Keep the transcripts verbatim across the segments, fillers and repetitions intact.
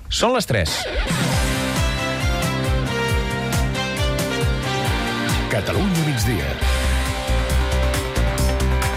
Són les tres. Catalunya migdia.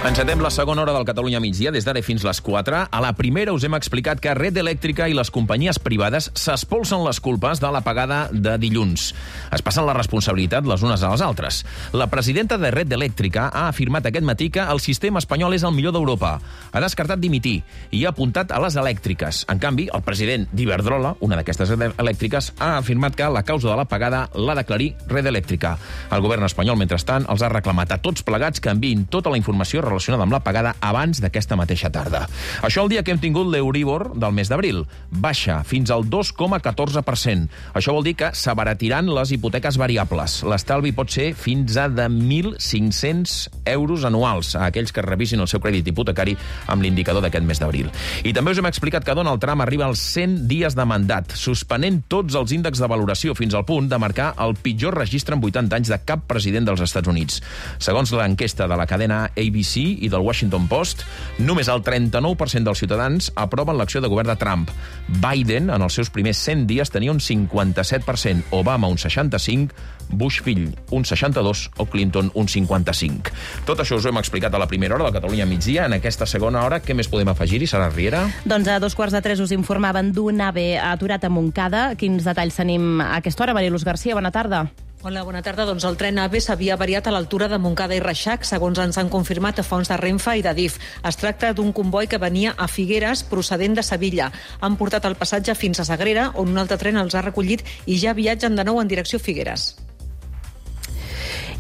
Encetem la segona hora del Catalunya migdia, des d'ara fins les quatre. A la primera us hem explicat que Red Eléctrica i les companyies privades s'espolsen les culpes de l'apagada de dilluns. Es passen la responsabilitat les unes a les altres. La presidenta de Red Eléctrica ha afirmat aquest matí que el sistema espanyol és el millor d'Europa. Ha descartat dimitir i ha apuntat a les elèctriques. En canvi, el president d'Iberdrola, una d'aquestes elèctriques, ha afirmat que la causa de l'apagada l'ha d'aclarir Red Eléctrica. El govern espanyol, mentrestant, els ha reclamat a tots plegats que enviïn tota la informació relacionada amb l'apagada abans d'aquesta mateixa tarda. Això el dia que hem tingut l'Euríbor del mes d'abril. Baixa fins al dos coma catorze per cent. Això vol dir que s'abaratiran les hipoteques variables. L'estalvi pot ser fins a de mil cinc-cents euros anuals a aquells que revisin el seu crèdit hipotecari amb l'indicador d'aquest mes d'abril. I també us hem explicat que Donald Trump arriba als cent dies de mandat, suspenent tots els índexs de valoració fins al punt de marcar el pitjor registre en vuitanta anys de cap president dels Estats Units. Segons l'enquesta de la cadena A B C i del Washington Post, només el trenta-nou per cent dels ciutadans aproven l'acció de govern de Trump. Biden, en els seus primers cent dies, tenia un cinquanta-set per cent, Obama un seixanta-cinc per cent, Bush fill un seixanta-dos per cent o Clinton un cinquanta-cinc per cent. Tot això us ho hem explicat a la primera hora de Catalunya migdia. En aquesta segona hora, què més podem afegir-hi, Sara Riera? Doncs a dos quarts de tres us informaven d'un AVE aturat a Montcada. Quins detalls tenim a aquesta hora? Mariluz Garcia, bona tarda. Hola, bona tarda. Doncs el tren AVE s'havia avariat a l'altura de Montcada i Reixac, segons ens han confirmat a fonts de Renfe i d'Adif. Es tracta d'un comboi que venia a Figueres procedent de Sevilla. Han portat el passatge fins a Sagrera, on un altre tren els ha recollit i ja viatgen de nou en direcció a Figueres.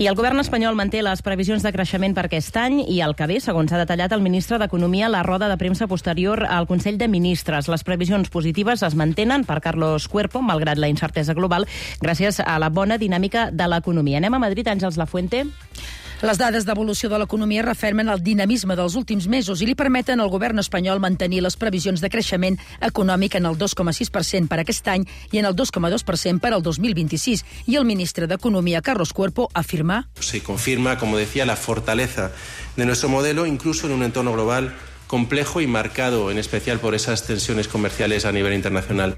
I el govern espanyol manté les previsions de creixement per aquest any i el que ve, segons ha detallat el ministre d'Economia a la roda de premsa posterior al Consell de Ministres. Les previsions positives es mantenen per Carlos Cuerpo, malgrat la incertesa global, gràcies a la bona dinàmica de l'economia. Anem a Madrid, Àngels Lafuente. Les dades d'evolució de l'economia refermen el dinamisme dels últims mesos i li permeten al govern espanyol mantenir les previsions de creixement econòmic en el dos coma sis per cent per aquest any i en el dos coma dos per cent per al dos mil vint-i-sis. I el ministre d'Economia, Carlos Cuerpo, afirma... Se confirma, como decía, la fortaleza de nuestro modelo, incluso en un entorno global complejo y marcado en especial por esas tensiones comerciales a nivel internacional.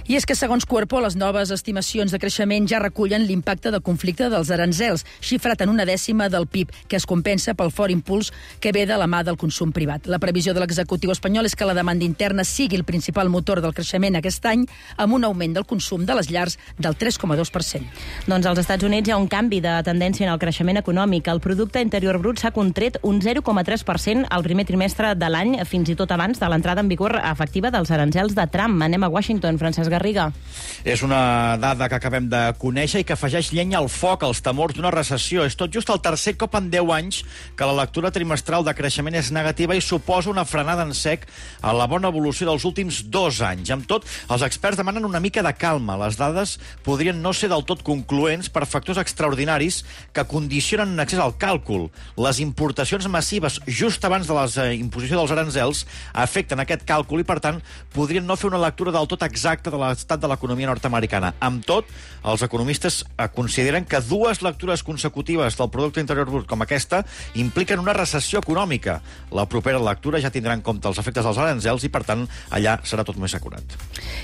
I és que, segons Cuerpo, les noves estimacions de creixement ja recullen l'impacte del conflicte dels aranzels, xifrat en una dècima del P I B, que es compensa pel fort impuls que ve de la mà del consum privat. La previsió de l'executiu espanyol és que la demanda interna sigui el principal motor del creixement aquest any, amb un augment del consum de les llars del tres coma dos per cent. Doncs als Estats Units hi ha un canvi de tendència en el creixement econòmic. El producte interior brut s'ha contret un zero coma tres per cent al primer trimestre de l'any, fins i tot abans de l'entrada en vigor efectiva dels aranzels de Trump. Anem a Washington, Francesc Garriga. És una dada que acabem de conèixer i que afegeix llenya al foc als temors d'una recessió. És tot just el tercer cop en deu anys que la lectura trimestral de creixement és negativa i suposa una frenada en sec a la bona evolució dels últims dos anys. Amb tot, els experts demanen una mica de calma. Les dades podrien no ser del tot concloents per factors extraordinaris que condicionen en accés al càlcul. Les importacions massives just abans de la imposició dels aranzels afecten aquest càlcul i, per tant, podrien no fer una lectura del tot exacta de l'estat de l'economia nord-americana. Amb tot, els economistes consideren que dues lectures consecutives del producte interior brut com aquesta impliquen una recessió econòmica. La propera lectura ja tindrà en compte els efectes dels aranzels i, per tant, allà serà tot més acurat.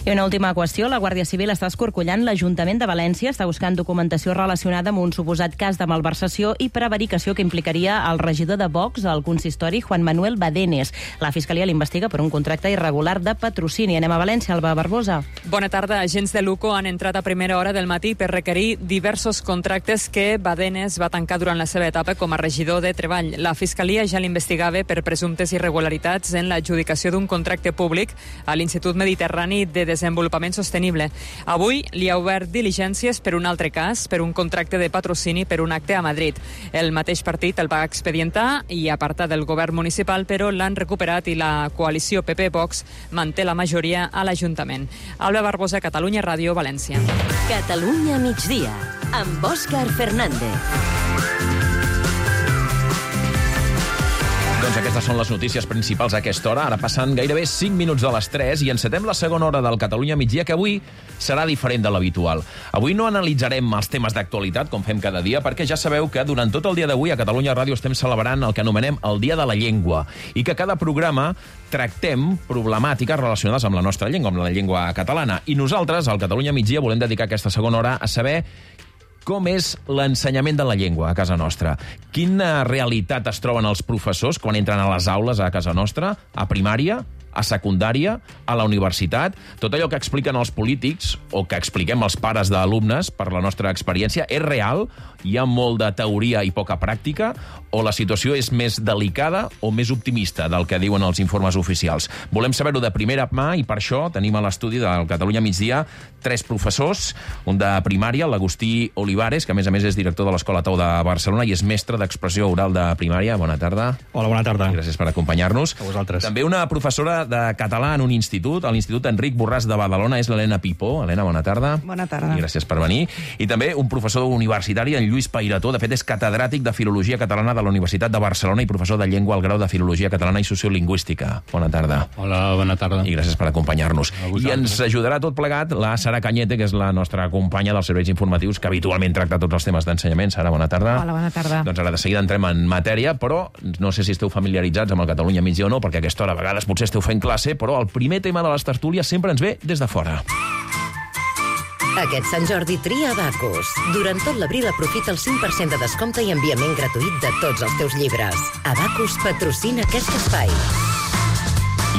I una última qüestió. La Guàrdia Civil està escorcollant l'Ajuntament de València, està buscant documentació relacionada amb un suposat cas de malversació i prevaricació que implicaria el regidor de Vox al consistori, Juan Manuel Badenes. La Fiscalia l'investiga per un contracte irregular de patrocini. Anem a València, Alba Barbosa. Bona tarda. Agents de l'U C O han entrat a primera hora del matí per requerir diversos contractes que Badenes va tancar durant la seva etapa com a regidor de Treball. La Fiscalia ja l'investigava per presumptes irregularitats en l'adjudicació d'un contracte públic a l'Institut Mediterrani de Desenvolupament Sostenible. Avui li ha obert diligències per un altre cas, per un contracte de patrocini per un acte a Madrid. El mateix partit el va expedientar i apartar del govern municipal, però l'han recuperat i la coalició P P-Vox manté la majoria a l'Ajuntament. Alba Barbosa, Catalunya Ràdio, València. Catalunya migdia, amb Òscar Fernández. Doncs aquestes són les notícies principals a aquesta hora. Ara passen gairebé cinc minuts de les tres i encetem la segona hora del Catalunya migdia, que avui serà diferent de l'habitual. Avui no analitzarem els temes d'actualitat, com fem cada dia, perquè ja sabeu que durant tot el dia d'avui a Catalunya Ràdio estem celebrant el que anomenem el Dia de la Llengua i que cada programa tractem problemàtiques relacionades amb la nostra llengua, amb la llengua catalana. I nosaltres, al Catalunya migdia, volem dedicar aquesta segona hora a saber com és l'ensenyament de la llengua a casa nostra. Quina realitat es troben els professors quan entren a les aules a casa nostra, a primària, a secundària, a la universitat? Tot allò que expliquen els polítics o que expliquem els pares d'alumnes per la nostra experiència és real? Hi ha molt de teoria i poca pràctica? O la situació és més delicada o més optimista del que diuen els informes oficials? Volem saber-ho de primera mà i per això tenim a l'estudi del Catalunya migdia tres professors, un de primària, l'Agustí Olivares, que a més a més és director de l'Escola Tau de Barcelona i és mestre d'expressió oral de primària. Bona tarda. Hola, bona tarda. I gràcies per acompanyar-nos. A vosaltres. També una professora de català en un institut, a l'Institut Enric Borràs de Badalona, és l'Helena Pipó. Helena, bona tarda. Bona tarda. I gràcies per venir. I també un professor universitari, en Lluís Pairató, de fet és catedràtic de Filologia Catalana de la Universitat de Barcelona i professor de llengua al grau de Filologia Catalana i Sociolingüística. Bona tarda. Hola, bona tarda. I gràcies per acompanyar-nos. I ens ajudarà tot plegat la Sara Cañete, que és la nostra companya dels serveis informatius, que habitualment tracta tots els temes d'ensenyament. Sara, bona tarda. Hola, bona tarda. Doncs ara de seguida entrem en matèria, però no sé si esteu familiaritzats amb el Catalunya migdia o no, perquè a aquesta hora a vegades potser esteu fent classe, però el primer tema de les tertúlies sempre ens ve des de fora. Aquest Sant Jordi tria Abacus. Durant tot l'abril aprofita el cinc per cent de descompte i enviament gratuït de tots els teus llibres. Abacus patrocina aquest espai.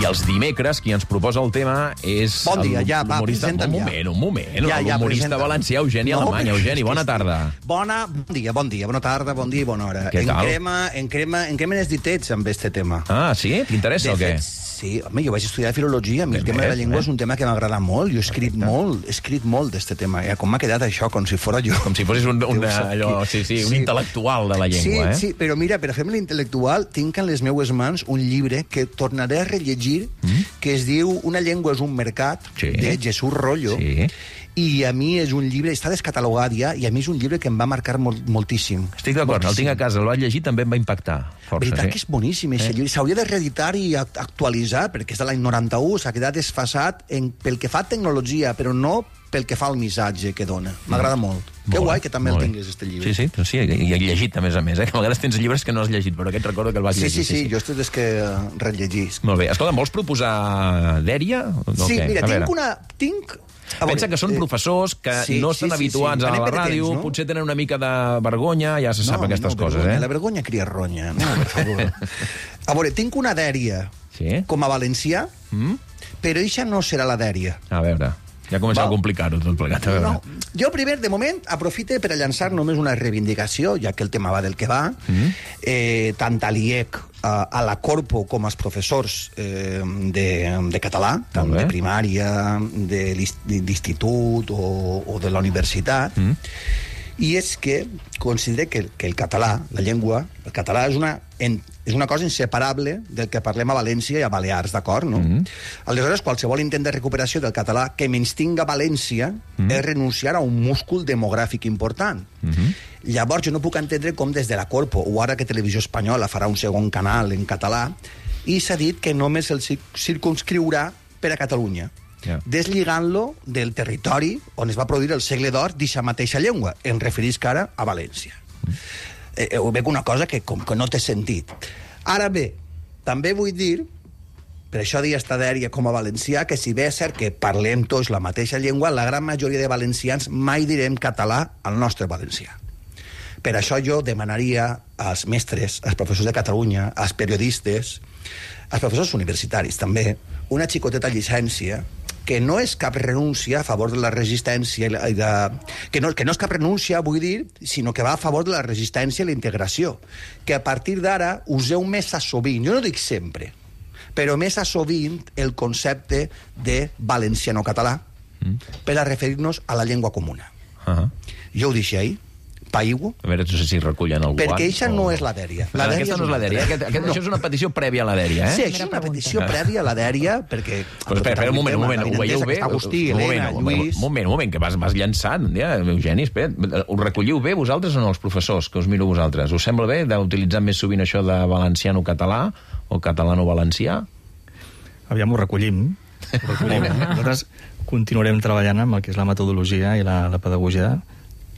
I els dimecres qui ens proposa el tema és... Bon dia, ja, va, presenta'm presenta'm ja. Un moment, un moment. Ja, ja, l'humorista valencià Eugeni no, Alemany. Eugeni, bona tarda. Bona, bon dia, bon dia, bona tarda, bon dia i bona hora. Què tal? Encrema, encrema, encrema els ditets amb este tema. Ah, sí? T'interessa o què? Sí, home, jo vaig estudiar filologia, a mi el tema de la llengua és un tema que m'agrada molt, jo he escrit molt, he escrit molt d'este tema, eh? Com m'ha quedat això, com si fos jo... Com si fossis un, un, allò, sí, sí, un sí. intel·lectual de la llengua, sí, eh? Sí, però mira, per a fer-me l'intel·lectual, tinc en les meues mans un llibre que tornaré a rellegir, mm? que es diu Una llengua és un mercat, sí. de Jesús Rollo, sí. I a mi és un llibre, està descatalogat ja, i a mi és un llibre que em va marcar molt, moltíssim. Estic d'acord, el tinc a casa, el vaig llegir, també em va impactar força. Veritat sí. que és boníssim, eh? S'hauria de reeditar i actualitzar, perquè és de l'any noranta-u, s'ha quedat desfasat en, pel que fa a tecnologia, però no pel que fa al missatge que dona. M'agrada mm. molt. molt. Que guai que també el tinguis, este llibre. Sí, sí, sí, i he llegit, a més a més, eh? Que a vegades tens llibres que no has llegit, però aquest recordo que el vaig sí, llegir. Sí, sí, sí, jo estic des que rellegisc. Molt bé. Escolta, vols proposar dèria? Sí, okay. mira, tinc una... Tinc... Pensa que són professors que sí, no estan sí, sí, habituats sí. a la ràdio, temps, no? potser tenen una mica de vergonya, ja se sap no, aquestes no, coses, vergonya, eh? La vergonya cria ronya, no, per favor. A veure, tinc una dèria sí? com a valencià, mm? però això no serà la dèria. A veure... Ja comença a complicar-ho tot plegat. A veure. No. Jo primer, de moment, aprofite per a llançar només una reivindicació, ja que el tema va del que va, mm-hmm. eh, tant a l'I E C, a, a la Corpo, com als professors eh, de, de català, tant de primària, de l'institut o, o de la universitat, mm. i és que considero que, que el català, la llengua, el català és una... En, és una cosa inseparable del que parlem a València i a Balears, d'acord, no? Mm-hmm. Aleshores, qualsevol intent de recuperació del català que menystinga València mm-hmm. és renunciar a un múscul demogràfic important. Mm-hmm. Llavors, jo no puc entendre com des de la Corpo, o ara que Televisió Espanyola farà un segon canal en català, i s'ha dit que només el circumscriurà per a Catalunya, yeah. deslligant-lo del territori on es va produir el segle d'or d'aquesta mateixa llengua. Em referisc ara a València. Mm-hmm. Eh, ho veig una cosa que com que no té sentit. Ara bé, també vull dir, per això dir esta dèria com a valencià, que si bé és cert que parlem tots la mateixa llengua, la gran majoria de valencians mai direm català al nostre valencià. Per això jo demanaria als mestres, als professors de Catalunya, als periodistes, als professors universitaris també, una xicoteta llicència que no és cap renúncia a favor de la resistència i de... que, no, que no és cap renúncia, vull dir, sinó que va a favor de la resistència i la integració, que a partir d'ara useu més a sovint, jo no dic sempre, però més a sovint el concepte de valenciano-català mm. per a referir-nos a la llengua comuna. Uh-huh. Jo ho deixo ahí, Paigua. A veure, no sé si recullen algú. Perquè això o... no és la dèria. La dèria aquesta no és la dèria. Aquest, aquest, no. Això és una petició prèvia a la dèria, eh? Sí, això és una petició prèvia a la dèria, perquè... Però espera, espera, un moment, un moment, ho veieu bé? Agustí, Helena, Lluís... Un moment, un moment, que vas, vas llançant, ja, Eugeni, espera. Ho recolliu bé vosaltres o no, els professors, que us miro vosaltres? Us sembla bé d'utilitzar més sovint això de valenciano-català o catalano-valencià? Aviam, ho recollim. Ho recollim. Nosaltres continuarem treballant amb el que és la metodologia i la, la pedagogia.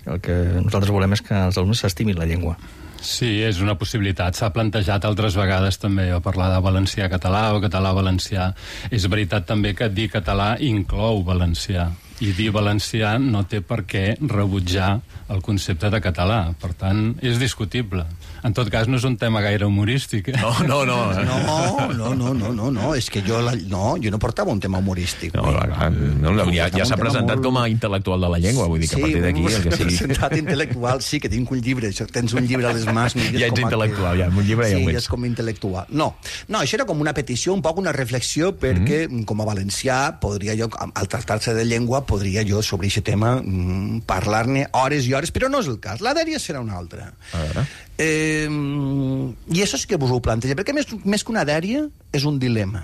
El que nosaltres volem és que els alumnes s'estimin la llengua. Sí, és una possibilitat. S'ha plantejat altres vegades també a parlar de valencià-català o català-valencià. És veritat també que dir català inclou valencià. I dir valencià no té per què rebutjar el concepte de català. Per tant, és discutible. En tot cas, no és un tema gaire humorístic. Eh? No, no, no. No, no, no, no, no, no. És que jo, la, no, jo no portava un tema humorístic. No, no, no, ja ja s'ha presentat molt... com a intel·lectual de la llengua, vull dir que sí, a partir d'aquí... Sí, el que sigui... presentat intel·lectual, sí, que tinc un llibre. Tens un llibre a les mans... Ja ets intel·lectual, ja, un llibre sí, ja ho ets. Sí, és com intel·lectual. No, no, això era com una petició, un poc una reflexió, perquè mm. com a valencià, podria jo, al tractar-se de llengua, podria jo sobre aquest tema mm, parlar-ne hores i hores, però no és el cas. La dèria serà una altra. A veure... Eh, I això sí que vos ho planteja, perquè més, més que una dèria és un dilema.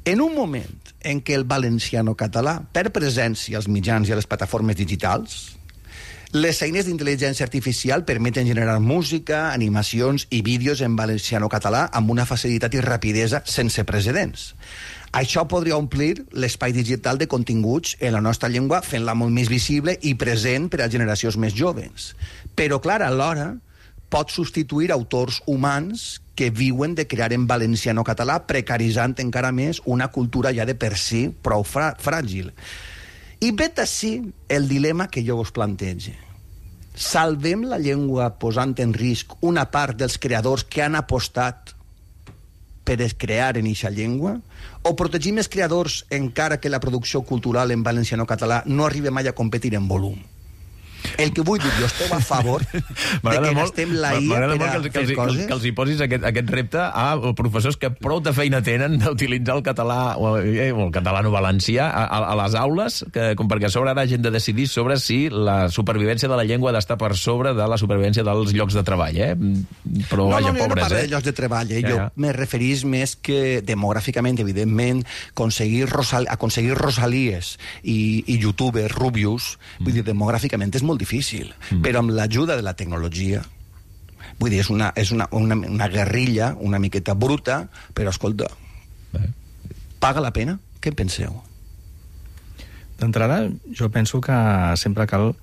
En un moment en què el valenciano-català, per presència als mitjans i a les plataformes digitals, les eines d'intel·ligència artificial permeten generar música, animacions i vídeos en valenciano-català amb una facilitat i rapidesa sense precedents. Això podria omplir l'espai digital de continguts en la nostra llengua, fent-la molt més visible i present per a generacions més joves. Però, clar, alhora pot substituir autors humans que viuen de crear en valenciano-català, precaritzant encara més una cultura ja de per si prou fràgil. I vet ací el dilema que jo us plantege. Salvem la llengua posant en risc una part dels creadors que han apostat per crear en eixa llengua, o protegim els creadors encara que la producció cultural en valenciano-català no arribi mai a competir en volum? El que vull dir, jo esteu a favor de que gastem la I A per a que, fer els, coses... que els hi posis aquest, aquest repte a professors que prou de feina tenen d'utilitzar el català o el catalano-valencià a, a, a les aules, que, com perquè a sobre ara hagin de decidir sobre si la supervivència de la llengua ha d'estar per sobre de la supervivència dels llocs de treball, eh? Però, no, vaja, no, no, pobres, no parlo eh? de llocs de treball, eh? Ja, Jo ja. me referís més que demogràficament, evidentment, aconseguir, Rosal... aconseguir Rosalies i, i youtubers rubius, mm. vull dir, demogràficament és molt difícil, mm. però amb l'ajuda de la tecnologia, vull dir, és una, és una, una, una guerrilla una miqueta bruta, però escolta, Bé. paga la pena? Què en penseu? D'entrada, jo penso que sempre cal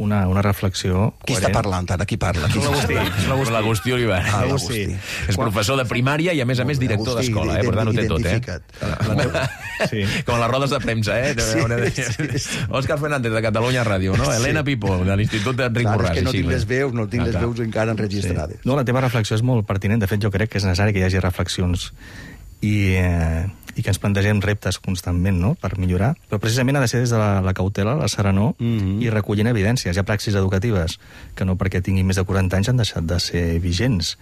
una, una reflexió Qui coherent. està parlant ara? Qui parla? Qui L'Agustí. L'Agustí Olivera. Ah, l'Agustí. És professor de primària i, a més a més, director d'escola, eh? Per tant, ho té tot, eh? Sí. Com a les rodes de premsa, eh? Sí, sí, sí. Òscar Fernández, de Catalunya Ràdio, no? Sí. Helena Pipó, de l'Institut d'Enric Clar, Borràs. és que no així, tinc les veus, no tinc Ah, les clar. veus encara enregistrades. Sí. No, la teva reflexió és molt pertinent. De fet, jo crec que és necessari que hi hagi reflexions i, eh, i que ens plantegem reptes constantment, no?, per millorar. Però precisament ha de ser des de la, la cautela, la serenor, mm-hmm. i recollint evidències. Hi ha praxis educatives que no perquè tinguin més de quaranta anys han deixat de ser vigents.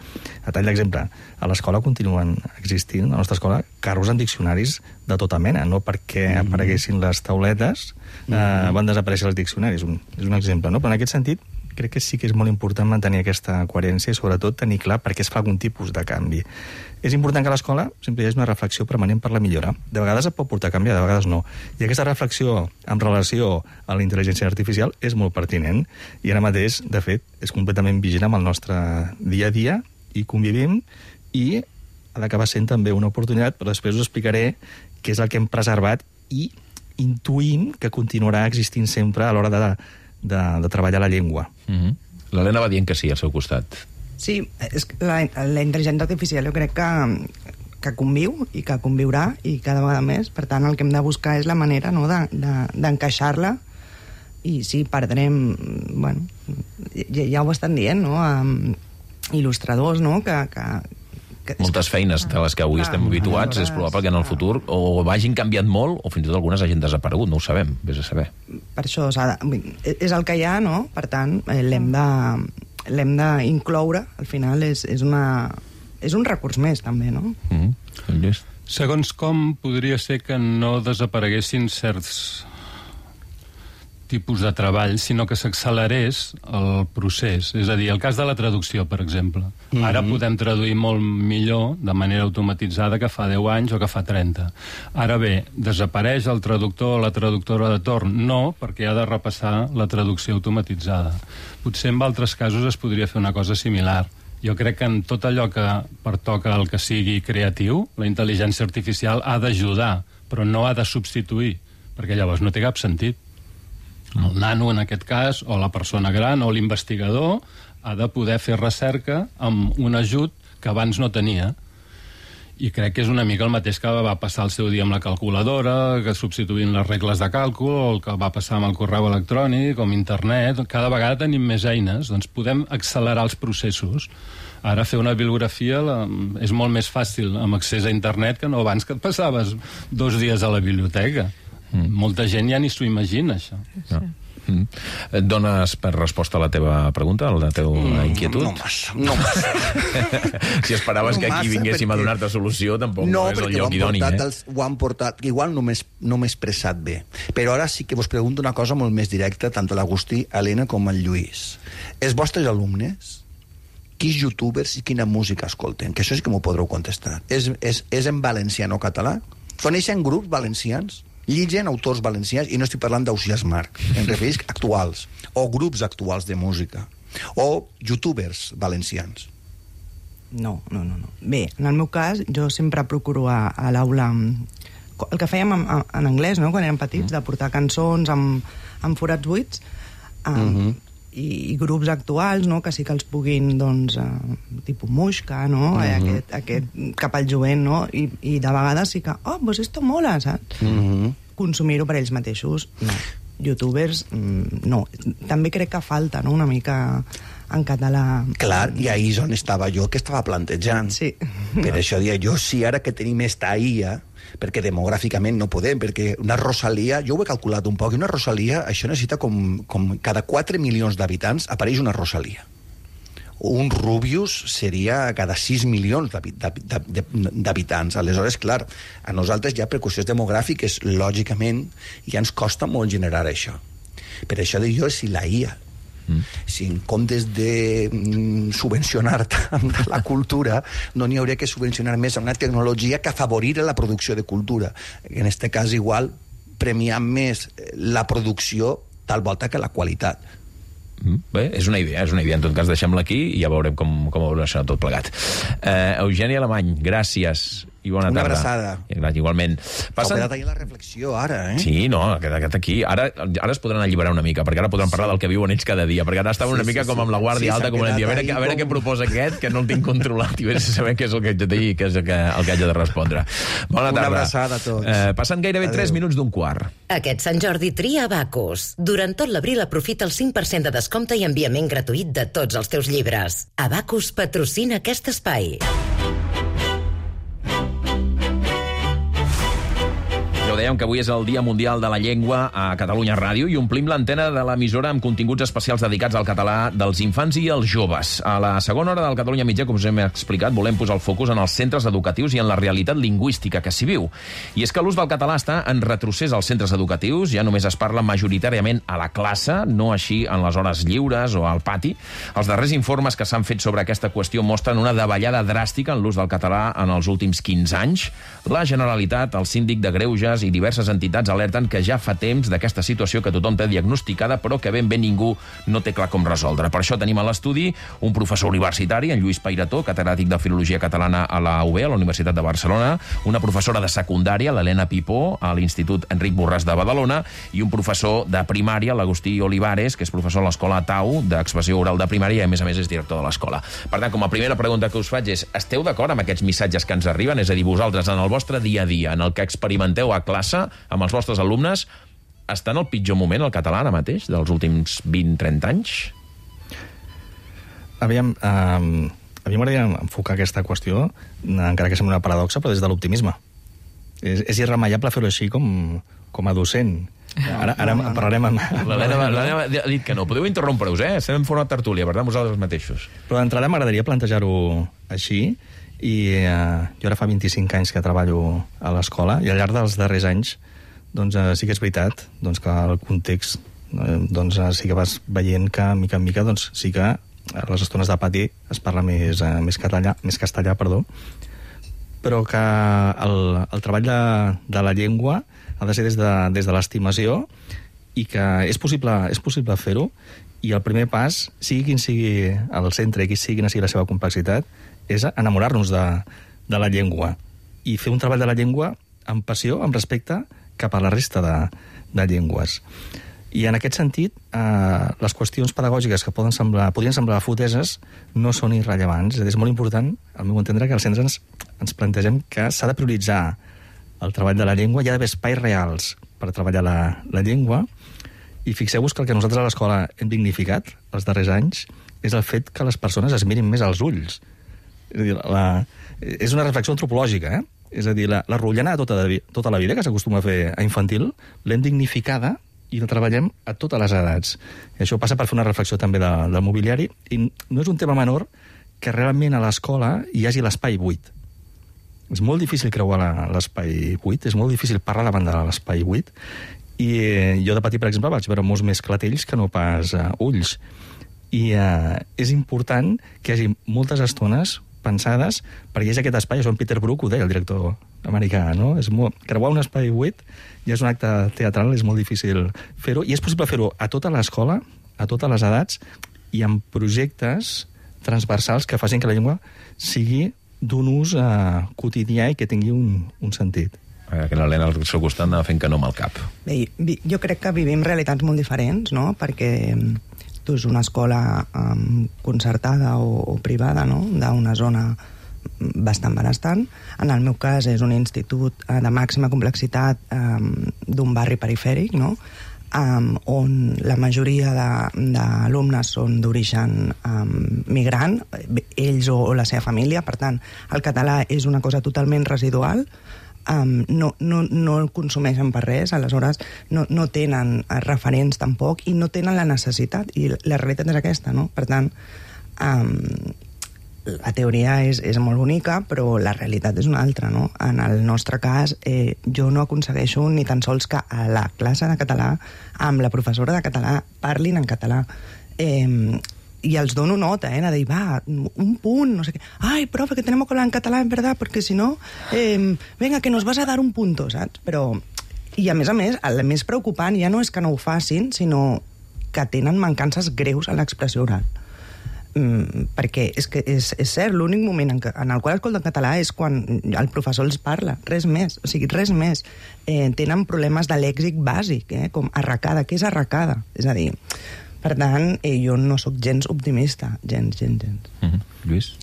A tall d'exemple, a l'escola continuen existint, a la nostra escola, carros en diccionaris de tota mena, no perquè mm-hmm. apareguessin les tauletes, eh, mm-hmm. van desaparèixer els diccionaris. Un, és un exemple, no? Però en aquest sentit, crec que sí que és molt important mantenir aquesta coherència i sobretot tenir clar per què es fa algun tipus de canvi. És important que a l'escola sempre hi hagi una reflexió permanent per la millora. De vegades et pot portar a canviar, de vegades no. I aquesta reflexió en relació a la intel·ligència artificial és molt pertinent i ara mateix, de fet, és completament vigent amb el nostre dia a dia i convivim i ha d'acabar sent també una oportunitat, però després us explicaré què és el que hem preservat i intuïm que continuarà existint sempre a l'hora de, de, de treballar la llengua. Mm-hmm. L'Helena va dient que sí al seu costat. Sí, és la, la intel·ligència artificial jo crec que, que conviu i que conviurà i cada vegada més. Per tant, el que hem de buscar és la manera, no, de, de, d'encaixar-la i sí, perdrem... Bueno, ja, ja ho estan dient, no?, um, il·lustradors, no?, que... que, que moltes feines de les que avui estem habituats és probable que en el futur o hagin canviat molt o fins i tot algunes hagin desaparegut, no ho sabem, vés a saber. Per això s'ha de, és el que hi ha, no? Per tant, l'hem de... l'hem d'incloure, al final és, és, una, és un recurs més, també, no? Mm-hmm. Segons com podria ser que no desapareguessin certs tipus de treball, sinó que s'accelerés el procés. És a dir, el cas de la traducció, per exemple. Mm-hmm. Ara podem traduir molt millor de manera automatitzada que fa deu anys o que fa trenta. Ara bé, desapareix el traductor o la traductora de torn? No, perquè ha de repassar la traducció automatitzada. Potser en altres casos es podria fer una cosa similar. Jo crec que en tot allò que pertoca al que sigui creatiu, la intel·ligència artificial ha d'ajudar, però no ha de substituir, perquè llavors no té cap sentit. El nano, en aquest cas, o la persona gran, o l'investigador, ha de poder fer recerca amb un ajut que abans no tenia. I crec que és una mica el mateix que va passar el seu dia amb la calculadora, que substituint les regles de càlcul, o el que va passar amb el correu electrònic, o amb internet. Cada vegada tenim més eines, doncs podem accelerar els processos. Ara fer una bibliografia la, és molt més fàcil amb accés a internet que no abans que et passaves dos dies a la biblioteca. Mm. Molta gent ja ni s'ho imagina, això. Sí. Mm. Et dones per resposta a la teva pregunta, a la teva mm, inquietud? No massa, no massa. Si esperaves no que aquí massa, vinguéssim perquè... a donar-te solució, tampoc no, no és el lloc idoni, eh? Els, ho han portat, igual no m'he no expressat bé, però ara sí que vos pregunto una cosa molt més directa, tant a l'Agustí, a l'Helena com al Lluís. Els vostres alumnes, quins youtubers i quina música escolten? Que això sí que m'ho podreu contestar. És, és, és en valencià, no català? Coneixen grups valencians? Lligen autors valencians, i no estic parlant d'Ausiàs Marc, em refereix actuals, o grups actuals de música, o youtubers valencians. No, no, no. no. Bé, en el meu cas, jo sempre procuro a, a l'aula el que fèiem en, en anglès, no?, quan érem petits, de portar cançons amb, amb forats buits, um, mm-hmm. i, i grups actuals, no?, que sí que els puguin, doncs, uh, tipus Muixca, no?, mm-hmm. aquest, aquest cap al jovent, no?, I, i de vegades sí que, oh, pues esto mola, saps? Mm-hmm. Consumir-ho per ells mateixos, no. Youtubers, no. També crec que falta, no?, una mica en català. Clar, i ahir és on estava jo, que estava plantejant. Sí. Per això dia jo, sí, ara que tenim esta I A, perquè demogràficament no podem, perquè una Rosalia, jo ho he calculat un poc, i una Rosalia, això necessita com, com cada quatre milions d'habitants apareix una Rosalia. Un Rubius seria cada sis milions d'habitants. Aleshores, clar, a nosaltres ja per qüestions demogràfiques, lògicament, ja ens costa molt generar això. Per això dic jo, si la I A, mm. si en comptes de mm, subvencionar tant la cultura, no n'hi hauria que subvencionar més a una tecnologia que afavorir la producció de cultura. En aquest cas, igual, premiar més la producció tal volta que la qualitat. Bé, és una idea, és una idea. En tot cas, deixem-la aquí i ja veurem com, com evoluciona tot plegat. Eh, Eugeni Alemany, gràcies i bona una tarda. Una abraçada. Igualment. Passen... Ha quedat ahir la reflexió, ara, eh? Sí, no, ha quedat aquí. Ara, ara es podran alliberar una mica, perquè ara podran parlar sí. del que viuen ells cada dia, perquè ara estaven sí, una mica sí, com amb la guàrdia sí, alta, com a dir, a veure, a veure com... què proposa aquest, que no el tinc controlat, i vés a saber què és el que haig de dir, què és el que, el que haig de respondre. Bona tarda. Una abraçada a tots. Eh, passen gairebé tres minuts d'un quart. Aquest Sant Jordi tria Abacus. Durant tot l'abril aprofita el cinc per cent de descompte i enviament gratuït de tots els teus llibres. Abacus patrocina aquest espai. Ja ho dèiem, que avui és el Dia Mundial de la Llengua a Catalunya Ràdio i omplim l'antena de l'emissora amb continguts especials dedicats al català dels infants i els joves. A la segona hora del Catalunya Mitjà, com us hem explicat, volem posar el focus en els centres educatius i en la realitat lingüística que s'hi viu. I és que l'ús del català està en retrocés als centres educatius, ja només es parla majoritàriament a la classe, no així en les hores lliures o al pati. Els darrers informes que s'han fet sobre aquesta qüestió mostren una davallada dràstica en l'ús del català en els últims quinze anys. La Generalitat, el Síndic de Greuges i diverses entitats alerten que ja fa temps d'aquesta situació que tothom té diagnosticada, però que ben bé ningú no té clar com resoldre. Per això tenim a l'estudi un professor universitari, en Lluís Pairató, catedràtic de Filologia Catalana a la U B, a la Universitat de Barcelona, una professora de secundària, l'Helena Pipó, a l'Institut Enric Borràs de Badalona, i un professor de primària, l'Agustí Olivares, que és professor a l'Escola Tau, d'expressió oral de primària, i a més a més és director de l'escola. Per tant, com a primera pregunta que us faig és, esteu d'acord amb aquests missatges que ens arriben? És a dir, vosaltres, en el vostre dia a dia, en el que experimenteu a classe, amb els vostres alumnes, està en el pitjor moment el català ara mateix, dels últims vint a trenta anys? Aviam, eh, a mi m'agradaria enfocar aquesta qüestió, encara que sembla una paradoxa, però des de l'optimisme. És, és irremeiable fer-ho així com, com a docent. Ara, ara no, no, no. parlarem amb... L'Helena ha dit que no. Podeu interrompre-us, eh? Estem en forma de tertúlia, per tant, vosaltres mateixos. Però d'entrada m'agradaria plantejar-ho així, i eh, jo ara fa vint-i-cinc anys que treballo a l'escola, i al llarg dels darrers anys doncs, eh, sí que és veritat doncs, que el context doncs sí que vas veient que, mica en mica, doncs sí que a les estones de pati es parla més, eh, més, català, més castellà, perdó, però que el, el treball de, de la llengua ha de ser des de, des de l'estimació i que és possible, és possible fer-ho, i el primer pas, sigui quin sigui el centre i quin sigui, quina sigui la seva complexitat, és enamorar-nos de, de la llengua i fer un treball de la llengua amb passió, amb respecte cap a la resta de, de llengües. I en aquest sentit, eh, les qüestions pedagògiques que poden semblar, podrien semblar foteses no són irrellevants. És molt important, al meu entendre, que als centres ens, ens plantegem que s'ha de prioritzar el treball de la llengua, hi ha d'haver espais reals per treballar la, la llengua, i fixeu-vos que el que nosaltres a l'escola hem dignificat els darrers anys és el fet que les persones es mirin més als ulls. És a dir, la, és una reflexió antropològica, eh? És a dir, la, la rotllana de tota, de, tota la vida, que s'acostuma a fer a infantil, l'hem dignificada i la treballem a totes les edats. I això passa per fer una reflexió també de, del mobiliari, i no és un tema menor que realment a l'escola hi hagi l'espai buit. És molt difícil creuar l'espai buit, és molt difícil parlar davant de l'espai buit, i eh, jo de petit, per exemple, vaig veure molts més clatells que no pas eh, ulls. I eh, és important que hi hagi moltes estones pensades perquè hi hagi aquest espai. Això en Peter Brook ho deia, el director americà, no? És molt... Creuar un espai buit ja és un acte teatral, és molt difícil fer-ho, i és possible fer-ho a tota l'escola, a totes les edats, i amb projectes transversals que facin que la llengua sigui d'un ús eh, quotidià i que tingui un, un sentit. Que l'Helena al seu costat anava fent que no amb el cap. Bé, jo crec que vivim realitats molt diferents, no? Perquè tu és una escola um, concertada o, o privada, no? D'una zona bastant benestant. En el meu cas és un institut uh, de màxima complexitat um, d'un barri perifèric, no? Um, on la majoria d'alumnes són d'origen um, migrant, ells o, o la seva família. Per tant, el català és una cosa totalment residual. Um, no, no, no el consumeixen per res, aleshores no, no tenen referents tampoc i no tenen la necessitat, i la realitat és aquesta, no? Per tant, um, la teoria és, és molt bonica, però la realitat és una altra, no? En el nostre cas, eh, jo no aconsegueixo ni tan sols que a la classe de català, amb la professora de català, parlin en català. Eh, y els dono nota, eh, de dir, va, un punt, no sé què. Ai, profe, que tenemos que hablar en català, en verdad, porque si no, eh, venga, que nos vas a dar un punto, saps? Però, i a més a més, el més preocupant ja no és que no ho facin, sinó que tenen mancances greus en l'expressió oral. Mm, perquè és que és, és cert, l'únic moment en, que, en el qual escolten català és quan el professor els parla, res més, o sigui, res més. Eh, tenen problemes de lèxic bàsic, eh, com arracada. Què és arracada? És a dir, per tant, eh, jo no sóc gens optimista, gens, gens, gens. Mm-hmm. Lluís?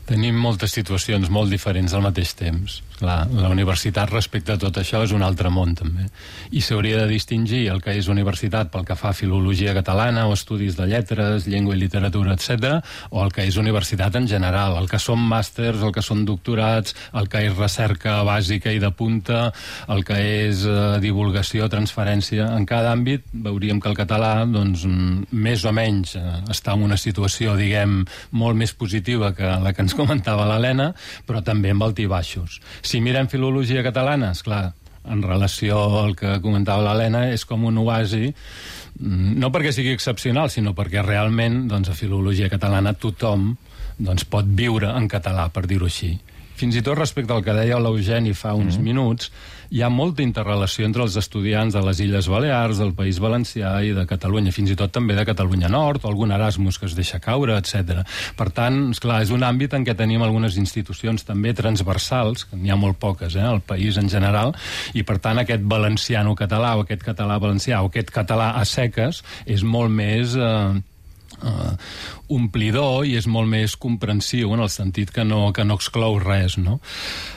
Tenim moltes situacions molt diferents al mateix temps. Clar, la universitat respecte a tot això és un altre món, també. I s'hauria de distingir el que és universitat pel que fa a filologia catalana o estudis de lletres, llengua i literatura, etcètera, o el que és universitat en general, el que són màsters, el que són doctorats, el que és recerca bàsica i de punta, el que és eh, divulgació, transferència. En cada àmbit veuríem que el català, doncs, més o menys eh, està en una situació, diguem, molt més positiva que la que ens comentava l'Helena, però també amb altibaixos. Si mirem filologia catalana, esclar, en relació al que comentava l'Helena, és com un oasi, no perquè sigui excepcional, sinó perquè realment, doncs, a filologia catalana tothom, doncs, pot viure en català, per dir-ho així. Fins i tot respecte al que deia l'Eugeni fa uns mm. minuts, hi ha molta interrelació entre els estudiants de les Illes Balears, del País Valencià i de Catalunya, fins i tot també de Catalunya Nord, o algun Erasmus que es deixa caure, etcètera. Per tant, esclar, és un àmbit en què tenim algunes institucions també transversals, que n'hi ha molt poques, eh, al país en general, i per tant aquest valenciano-català o aquest català-valencià o aquest català a seques és molt més... Eh, Uh, omplidor i és molt més comprensiu en el sentit que no, que no exclou res, no?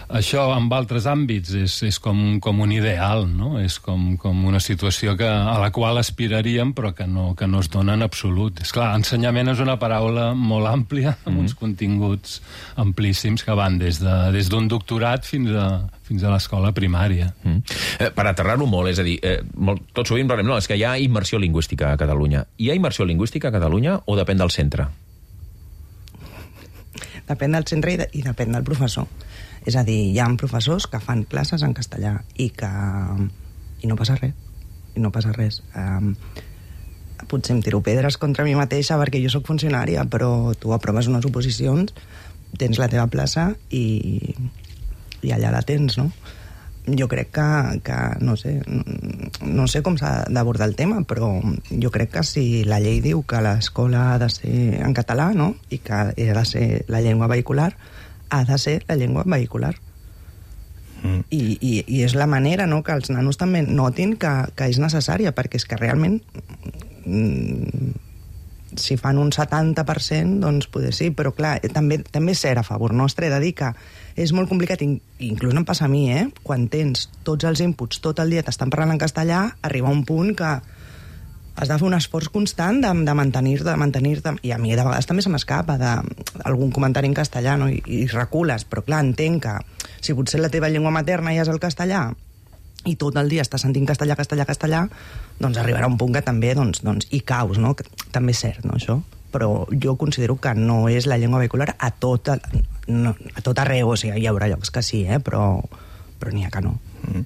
Això en altres àmbits és, és com, com un ideal, no? És com, com una situació que, a la qual aspiraríem però que no, que no es dona en absolut. És clar, ensenyament és una paraula molt àmplia amb mm. uns continguts amplíssims que van des de, des d'un doctorat fins a, fins a l'escola primària. Mm. Eh, per aterrar-ho molt, és a dir, eh, molt, tot sovint parlem, no, és que hi ha immersió lingüística a Catalunya. Hi ha immersió lingüística a Catalunya o depèn del centre? Depèn del centre i, de, i depèn del professor. És a dir, hi ha professors que fan classes en castellà i que... i no passa res. I no passa res. Um, potser em tiro pedres contra mi mateixa perquè jo sóc funcionària, però tu aproves unes oposicions, tens la teva plaça i, i allà la tens, no? Jo crec que, que no sé, no sé com s'ha d'abordar el tema, però jo crec que si la llei diu que l'escola ha de ser en català, no?, i que ha de ser la llengua vehicular, ha de ser la llengua vehicular. Mm. I, i, I és la manera, no?, que els nanos també notin que, que és necessària, perquè és que realment mm, si fan un setanta per cent, doncs poder sí, però clar, també, també és cert a favor nostre de dir que és molt complicat, inclús em passa a mi, eh? Quan tens tots els inputs, tot el dia t'estan parlant en castellà, arriba un punt que has de fer un esforç constant de, de mantenir-te, de mantenir-te, i a mi de vegades també se m'escapa d'algun comentari en castellà, no? I, i recules, però clar, entenc que si potser la teva llengua materna ja és el castellà i tot el dia estàs sentint castellà, castellà, castellà, doncs arribarà un punt que també, doncs, doncs hi caus, no? Que també és cert, no, això? Però jo considero que no és la llengua vehicular a tot, no, a tot arreu, o sigui, hi haurà llocs que sí, eh? però, però n'hi ha que no. Mm.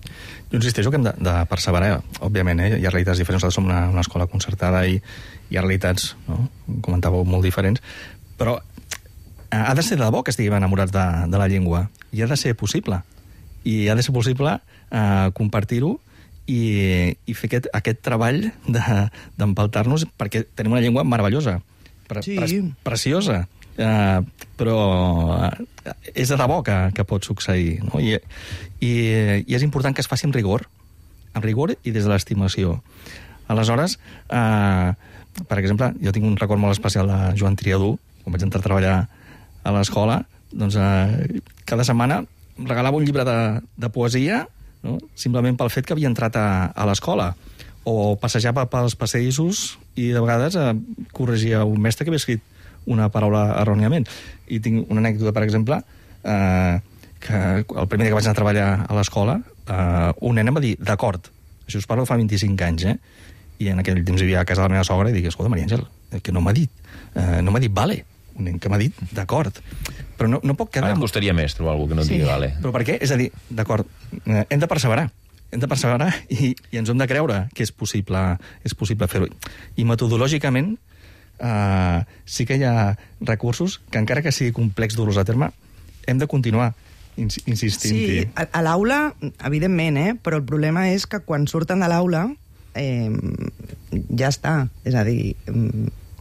Jo insisteixo que hem de, de perseverar, òbviament, eh? Hi ha realitats diferents, nosaltres som una, una escola concertada i hi ha realitats, no?, comentàveu, molt diferents, però ha de ser de debò que estiguem enamorats de, de la llengua, i ha de ser possible, i ha de ser possible eh, compartir-ho i, i fer aquest, aquest treball d'empaltar-nos, perquè tenim una llengua meravellosa, Pre sí. pre preciosa, uh, però uh, és de debò que, que pot succeir, no? I, i, i és important que es faci amb rigor, amb rigor i des de l'estimació. Aleshores, uh, per exemple, jo tinc un record molt especial de Joan Triadú, quan vaig entrar a treballar a l'escola, doncs uh, cada setmana regalava un llibre de, de poesia, no?, simplement pel fet que havia entrat a, a l'escola, o passejava pels passadissos i de vegades eh, corregia un mestre que havia escrit una paraula erròniament. I tinc una anècdota, per exemple, eh, que el primer dia que vaig anar a treballar a l'escola, eh, un nen em va dir, d'acord, això us parlo fa vint-i-cinc anys, eh? I en aquell temps vivia a casa de la meva sogra i dic, escolta, Maria Àngel, que no m'ha dit, eh, no m'ha dit vale, un nen que m'ha dit d'acord. Però no, no pot quedar... Ara em costaria més trobar algú que no sí. digui vale. Però per què? És a dir, d'acord, eh, hem de perseverar. hem de perseverar i, i ens hem de creure que és possible, és possible fer-ho. I metodològicament eh, sí que hi ha recursos que, encara que sigui complex dur-los a terme, hem de continuar ins insistint-hi. Sí, a, a l'aula, evidentment, eh? Però el problema és que quan surten de l'aula eh, ja està. És a dir,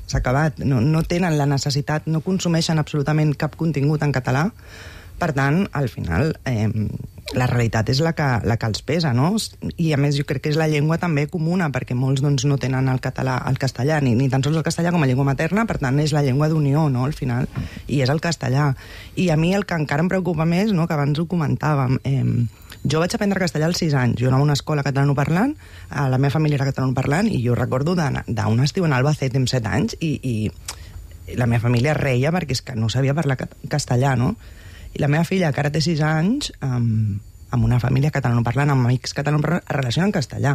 s'ha acabat. No, no tenen la necessitat, no consumeixen absolutament cap contingut en català. Per tant, al final, eh, la realitat és la que, la que els pesa, no? I, a més, jo crec que és la llengua també comuna, perquè molts doncs, no tenen el català, el castellà, ni, ni tan sols el castellà com a llengua materna, per tant, és la llengua d'unió, no?, al final, i és el castellà. I a mi el que encara em preocupa més, no?, que abans ho comentàvem, eh, jo vaig aprendre castellà als sis anys, jo anava a una escola catalanoparlant, a la meva família era catalanoparlant, i jo recordo d'un estiu en Albacete amb set anys, i, i la meva família reia perquè és que no sabia parlar castellà, no? I la meva filla, que ara té sis anys, amb, amb una família catalanoparlant, amb amics catalanoparlant, es relaciona en castellà.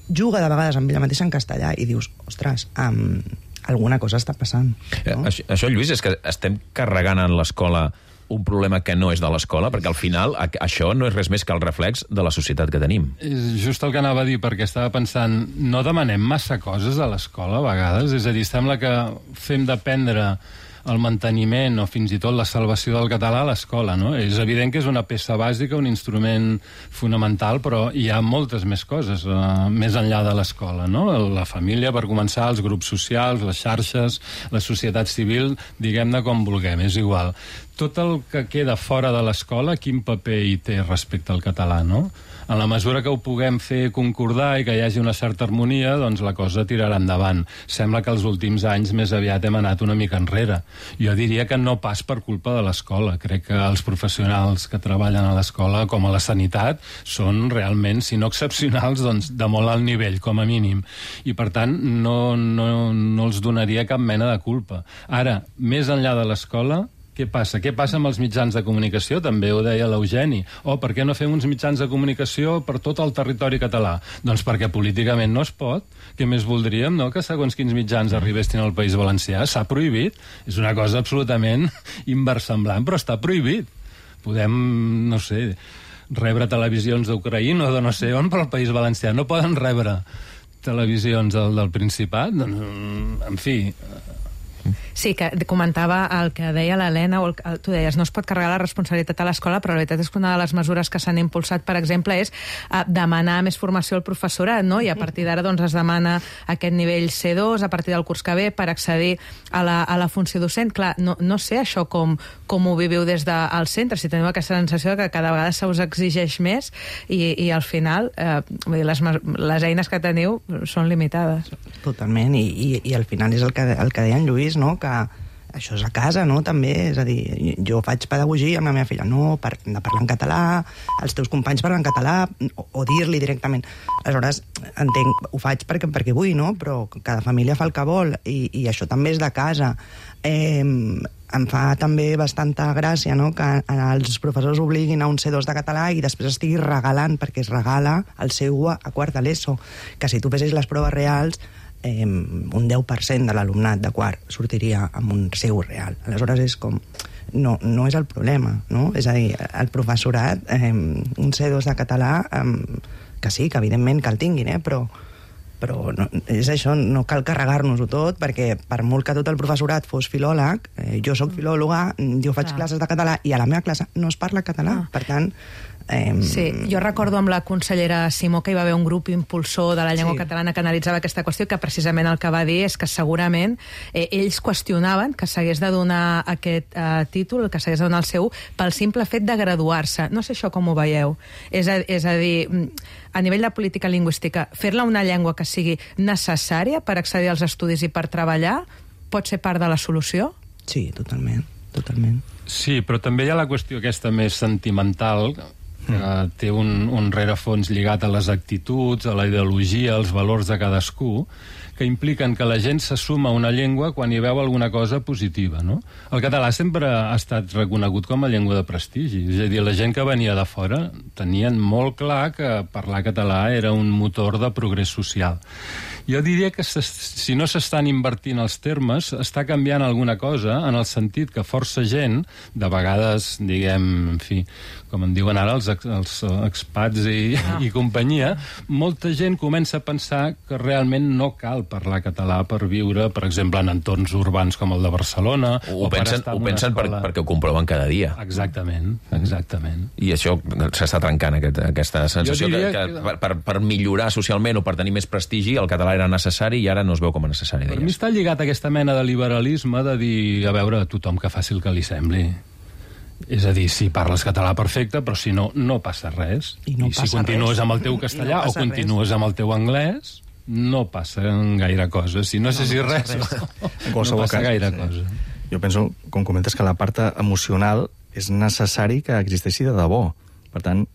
Juga de vegades amb ella mateixa en castellà i dius, ostres, um, alguna cosa està passant. No? Això, això, Lluís, és que estem carregant en l'escola un problema que no és de l'escola, perquè al final això no és res més que el reflex de la societat que tenim. És just el que anava a dir, perquè estava pensant, no demanem massa coses a l'escola a vegades? És a dir, sembla que fem dependre el manteniment o fins i tot la salvació del català a l'escola, no? És evident que és una peça bàsica, un instrument fonamental, però hi ha moltes més coses uh, més enllà de l'escola, no? La família, per començar, els grups socials, les xarxes, la societat civil, diguem-ne com vulguem, és igual. Tot el que queda fora de l'escola, quin paper hi té respecte al català, no? En la mesura que ho puguem fer concordar i que hi hagi una certa harmonia, doncs la cosa tirarà endavant. Sembla que els últims anys més aviat hem anat una mica enrere. Jo diria que no pas per culpa de l'escola. Crec que els professionals que treballen a l'escola, com a la sanitat, són realment, si no excepcionals, doncs de molt alt nivell, com a mínim. I, per tant, no, no, no els donaria cap mena de culpa. Ara, més enllà de l'escola, què passa? Què passa amb els mitjans de comunicació? També ho deia l'Eugeni. Oh, per què no fem uns mitjans de comunicació per tot el territori català? Doncs perquè políticament no es pot. Què més voldríem, no?, que segons quins mitjans arribessin al País Valencià. S'ha prohibit. És una cosa absolutament inversemblant, però està prohibit. Podem, no sé, rebre televisions d'Ucraïna o de no sé on per al País Valencià. No poden rebre. televisions del, del Principat, doncs, en fi... Sí, que comentava el que deia l'Helena, o el, el, tu deies, no es pot carregar la responsabilitat a l'escola, però la veritat és que una de les mesures que s'han impulsat, per exemple, és uh, demanar més formació al professorat, no? I a partir d'ara doncs, es demana aquest nivell C dos a partir del curs que ve per accedir a la, a la funció docent. Clar, no, no sé això com, com ho viviu des del centre, si teniu aquesta sensació que cada vegada se us exigeix més i, i al final eh, vull dir, les, les eines que teniu són limitades. Totalment, i, i, i al final és el que, el que deia en Lluís, no? Que això és a casa, no?, també, és a dir, jo faig pedagogia amb la meva filla, no, per, hem de parlar en català, els teus companys parlen en català, o, o dir-li directament. Aleshores, entenc, ho faig perquè, perquè vull, no?, però cada família fa el que vol, i, i això també és de casa. Eh, em fa també bastanta gràcia, no?, que els professors obliguin a un C dos de català i després estigui regalant, perquè es regala el C u a quart de l'ESO, que si tu fessis les proves reals, Eh, un deu per cent de l'alumnat de quart sortiria amb un C u real. Aleshores és com... No, no és el problema, no? És a dir, el professorat, eh, un C dos de català, eh, que sí, que evidentment que el tinguin, eh, però, però no, és això, no cal carregar-nos-ho tot, perquè per molt que tot el professorat fos filòleg, eh, jo sóc filòloga, jo faig Clar. classes de català i a la meva classe no es parla català, ah. per tant... Eh, Sí, jo recordo amb la consellera Simó que hi va haver un grup impulsor de la llengua sí. catalana que analitzava aquesta qüestió, que precisament el que va dir és que segurament eh, ells qüestionaven que s'hagués de donar aquest eh, títol, que s'hagués de donar el C u, pel simple fet de graduar-se. No sé això com ho veieu. És a, és a dir, a nivell de política lingüística, fer-la una llengua que sigui necessària per accedir als estudis i per treballar pot ser part de la solució? Sí, totalment, totalment. Sí, però també hi ha la qüestió aquesta més sentimental, que té un, un rerefons lligat a les actituds, a la ideologia, als valors de cadascú, que impliquen que la gent s'assuma a una llengua quan hi veu alguna cosa positiva, no? El català sempre ha estat reconegut com a llengua de prestigi, és a dir, la gent que venia de fora tenien molt clar que parlar català era un motor de progrés social. Jo diria que si no s'estan invertint els termes, està canviant alguna cosa en el sentit que força gent, de vegades, diguem, en fi, com en diuen ara els, els expats i, ah. i companyia, molta gent comença a pensar que realment no cal parlar català per viure, per exemple, en entorns urbans com el de Barcelona. Ho o pensen, per ho pensen per, perquè ho comproven cada dia. Exactament, exactament. I això s'està trencant, aquest, aquesta sensació que, que, que per, per millorar socialment o per tenir més prestigi el català era necessari i ara no es veu com a necessari. Per mi està lligat a aquesta mena de liberalisme de dir, a veure, tothom que faci el que li sembli. És a dir, si parles català perfecte, però si no, no passa res. I, no I si passa continues res. amb el teu castellà no o continues res. amb el teu anglès, no passa gaire cosa. Si no, no sé si no res, res. En qualsevol no passa cas, gaire sí. cosa. Jo penso, com comentes, que la part emocional és necessari que existeixi de debò. Per tant,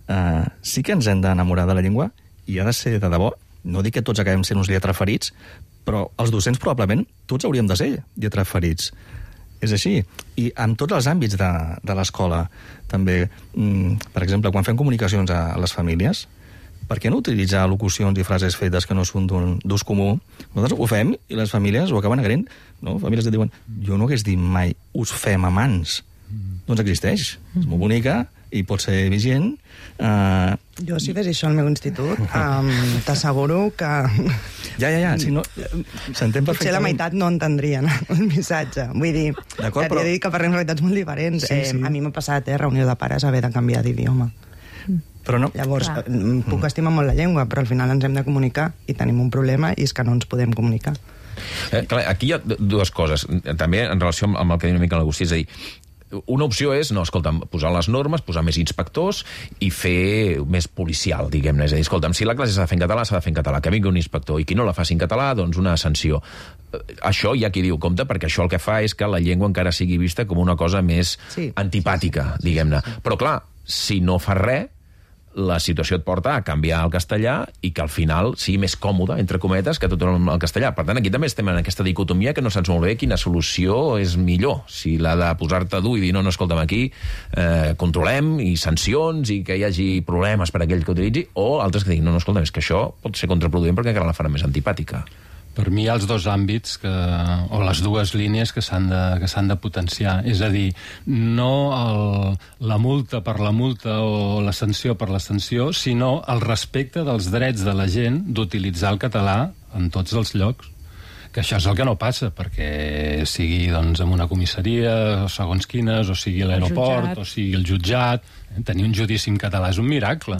eh, sí que ens hem d'enamorar de la llengua i ha de ser de debò. No dic que tots acabem sent uns lletraferits, però els docents probablement tots hauríem de ser lletraferits. És així. I en tots els àmbits de, de l'escola, també, mm, per exemple, quan fem comunicacions a, a les famílies, per què no utilitzar locucions i frases fetes que no són d'ús comú? Nosaltres ho fem i les famílies ho acaben agraint. No? Famílies que diuen, jo no hagués dit mai, us fem amants. Mm. Doncs existeix. Mm. És molt bonica i pot ser vigent. Uh... Jo, si fes això al meu institut, um, t'asseguro que... Ja, ja, ja, sí, no... S'entén perfectament. Potser la meitat no entendrien el missatge. Vull dir, que però... t'he dit que parlem realitats molt diferents. Sí, sí. Eh, a mi m'ha passat, eh, reunió de pares, haver de canviar d'idioma. Però no... Llavors, Clar. puc mm. estimar molt la llengua, però al final ens hem de comunicar i tenim un problema i és que no ens podem comunicar. Eh, clar, aquí hi ha dues coses. També en relació amb el que diu una mica l'Agustí, és a dir, una opció és, no, escolta'm, posar les normes, posar més inspectors i fer més policial, diguem-ne. És a dir, escolta'm, si la classe s'ha de fer en català, s'ha de fer en català. Que vingui un inspector i qui no la faci en català, doncs una sanció. Això hi ha qui diu, compte, perquè això el que fa és que la llengua encara sigui vista com una cosa més sí. antipàtica, diguem-ne. Però clar, si no fa res, la situació et porta a canviar el castellà i que al final sigui més còmode, entre cometes, que tot el castellà. Per tant, aquí també estem en aquesta dicotomia que no saps molt bé quina solució és millor. Si la de posar-te dur i dir, no, no, escolta'm, aquí eh, controlem i sancions i que hi hagi problemes per a aquell que utilitzi, o altres que diguin, no, no, escolta'm, és que això pot ser contraproduent perquè encara la farà més antipàtica. Per mi hi ha els dos àmbits que, o les dues línies que s'han de, que s'han de potenciar. És a dir, no el, la multa per la multa o la sanció per la sanció, sinó el respecte dels drets de la gent d'utilitzar el català en tots els llocs. Que això és el que no passa, perquè sigui doncs, en una comissaria, segons quines, o sigui a l'aeroport, o sigui el jutjat. Tenir un judici en català és un miracle.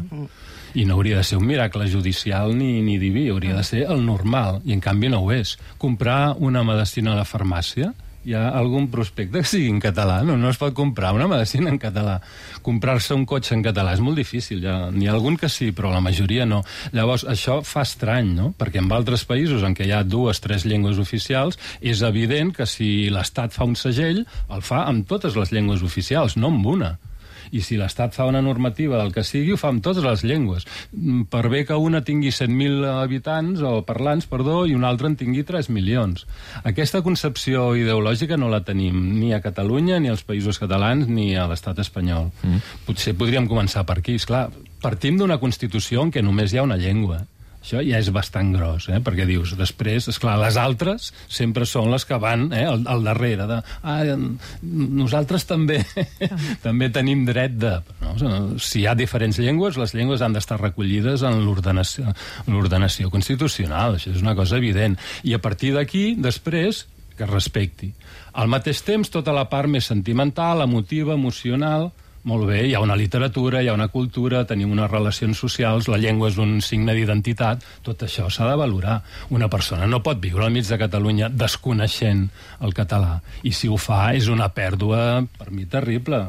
I no hauria de ser un miracle judicial ni, ni diví, hauria de ser el normal, i en canvi no ho és. Comprar una medicina a la farmàcia, hi ha algun prospecte que sigui en català, no, no es pot comprar una medicina en català. Comprar-se un cotxe en català és molt difícil, ja, n'hi ha algun que sí, però la majoria no. Llavors, això fa estrany, no? Perquè en altres països en què hi ha dues, tres llengües oficials, és evident que si l'Estat fa un segell, el fa amb totes les llengües oficials, no amb una. I si l'Estat fa una normativa del que sigui, ho fa amb totes les llengües. Per bé que una tingui set mil habitants, o parlants, perdó, i una altra en tingui tres milions. Aquesta concepció ideològica no la tenim ni a Catalunya, ni als Països Catalans, ni a l'estat espanyol. Mm. Potser podríem començar per aquí. Esclar, partim d'una Constitució en què només hi ha una llengua. Això ja és bastant gros, eh? Perquè dius, després, esclar, les altres sempre són les que van eh, al, al darrere de... Ah, nosaltres també també tenim dret de... No? Si hi ha diferents llengües, les llengües han d'estar recollides en l'ordenació, l'ordenació constitucional, això és una cosa evident. I a partir d'aquí, després, que es respecti. Al mateix temps, tota la part més sentimental, emotiva, emocional... Molt bé, hi ha una literatura, hi ha una cultura, tenim unes relacions socials, la llengua és un signe d'identitat, tot això s'ha de valorar. Una persona no pot viure al mig de Catalunya desconeixent el català, i si ho fa és una pèrdua, per mi, terrible.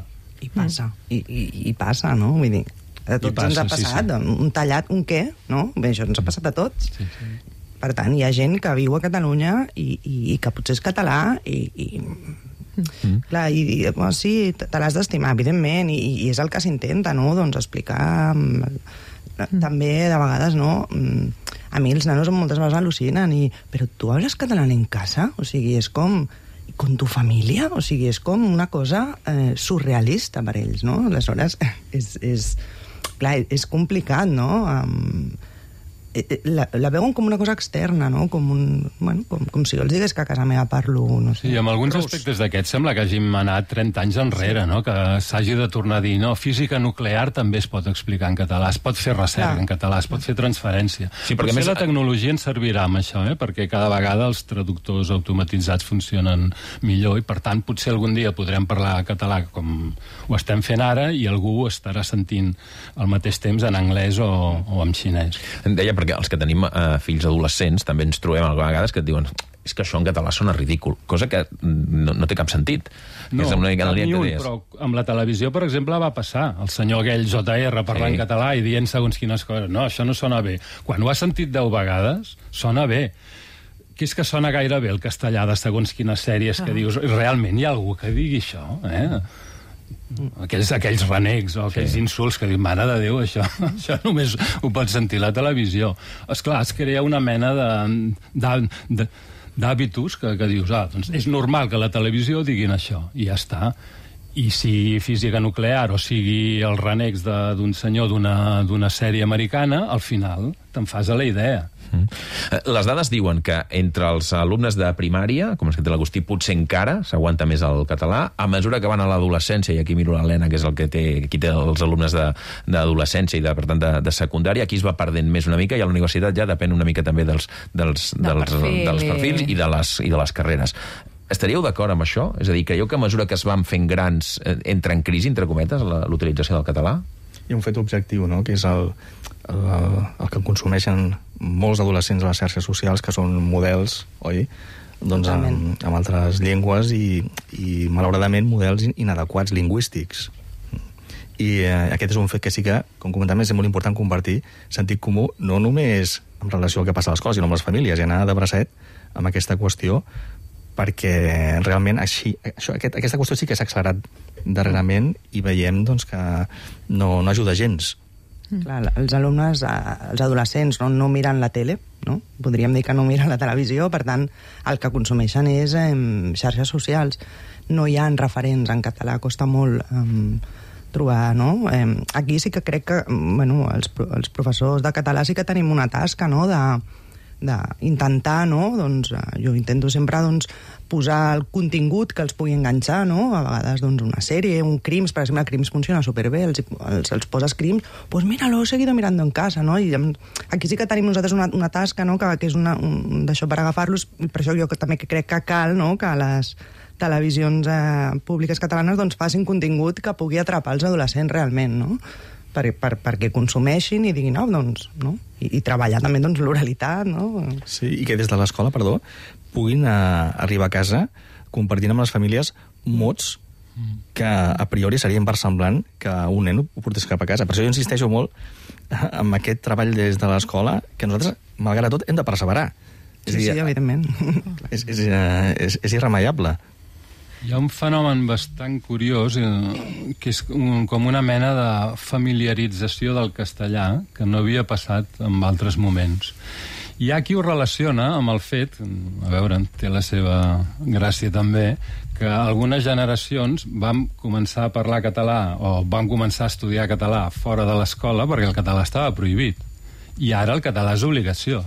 I passa, i, i, i passa, no? Vull dir, a tots passa, ens ha passat, sí, sí. Un tallat, un què, no? Bé, això ens ha passat a tots. Sí, sí. Per tant, hi ha gent que viu a Catalunya i, i, i que potser és català i... i Mm. Clar, i, i bueno, sí, te l'has d'estimar, evidentment, i, i és el que s'intenta, no? Doncs explicar mm. també, de vegades, no? A mi els nanos moltes vegades al·lucinen i, però tu hables català en casa? O sigui, és com... con tu família? O sigui, és com una cosa eh, surrealista per ells, no? Aleshores, és, és, clar, és complicat, no? Um, La, la veuen com una cosa externa, no? Com, un, bueno, com, com si jo els digués que a casa meva parlo, no sé... Sí, amb alguns Rus. aspectes d'aquests sembla que hàgim anat trenta anys enrere, sí. No? Que s'hagi de tornar a dir, no, física nuclear també es pot explicar en català, es pot fer recerca Clar. en català, es pot fer transferència. Sí, perquè més la tecnologia ens servirà amb això, eh? Perquè cada vegada els traductors automatitzats funcionen millor i, per tant, potser algun dia podrem parlar català com ho estem fent ara i algú ho estarà sentint al mateix temps en anglès o, o en xinès. Deia, perquè els que tenim eh, fills adolescents també ens trobem a vegades que et diuen és que això en català sona ridícul, cosa que no, no té cap sentit. No, és una cap ni un, però amb la televisió, per exemple, va passar. El senyor aquell J R parlant sí. català i dient segons quines coses. No, això no sona bé. Quan ho has sentit deu vegades, sona bé. Que és que sona gaire bé el castellà de segons quines sèries ah. que dius, realment hi ha algú que digui això, eh? Aquells, aquells renecs o aquells sí. insults que diuen, mare de Déu, això, això només ho pots sentir a la televisió. Esclar, es crea una mena de, de, de, d'hàbitus que, que dius, ah, doncs és normal que a la televisió diguin això, i ja està. I si física nuclear o sigui els renecs d'un senyor d'una sèrie americana, al final te'n fas a la idea. Mm. Les dades diuen que entre els alumnes de primària, com és que té l'Agustí, potser encara s'aguanta més el català. A mesura que van a l'adolescència, i aquí miro l'Helena, que és el que té, qui té els alumnes d'adolescència i, de, per tant, de, de secundària, aquí es va perdent més una mica, i a la universitat ja depèn una mica també dels, dels, de dels, perfil. dels perfils i de les, i de les carreres. Estaríeu d'acord amb això? És a dir, creieu que a mesura que es van fent grans eh, entra en crisi, entre cometes, l'utilització del català? Hi ha un fet objectiu, no?, que és el, el, el que consumeixen molts adolescents a les xarxes socials, que són models, oi?, doncs amb, amb altres llengües i, i, malauradament, models inadequats lingüístics. I eh, aquest és un fet que sí que, com comentàvem, és molt important compartir sentit comú, no només en relació al que passa a l'escola, sinó amb les famílies, i anar de bracet amb aquesta qüestió, perquè realment així, això, aquest, aquesta qüestió sí que s'ha accelerat darrerament i veiem doncs, que no, no ajuda gens. Clar, els alumnes, els adolescents no, no miren la tele, no? Podríem dir que no miren la televisió, per tant, el que consumeixen és eh, xarxes socials. No hi ha referents en català, costa molt eh, trobar, no? Eh, aquí sí que crec que, bueno, els, els professors de català sí que tenim una tasca, no?, de d'intentar, no? Doncs jo intento sempre, doncs, posar el contingut que els pugui enganxar, no? A vegades, doncs, una sèrie, un Crims, per exemple, Crims funciona superbé, els, els, els poses Crims, pues mira, lo he seguido mirando en casa, no? I aquí sí que tenim nosaltres una, una tasca, no?, que, que és una, un, d'això per agafar-los, per això jo també crec que cal, no?, que les televisions eh, públiques catalanes doncs facin contingut que pugui atrapar els adolescents realment, no?, per, per, perquè consumeixin i diguin, no, doncs, no? I, i treballar també, doncs, l'oralitat, no? Sí, i que des de l'escola, perdó, puguin eh, arribar a casa compartint amb les famílies mots que a priori seria inversemblant que un nen ho portés cap a casa. Per això jo insisteixo molt amb aquest treball des de l'escola, que nosaltres, malgrat tot, hem de perseverar. Sí, és dir, sí, evidentment. És, és, és, és irremeiable. Hi ha un fenomen bastant curiós, eh, que és un, com una mena de familiarització del castellà que no havia passat en altres moments. Hi ha qui ho relaciona amb el fet, a veure, té la seva gràcia també, que algunes generacions van començar a parlar català o van començar a estudiar català fora de l'escola perquè el català estava prohibit. I ara el català és obligació.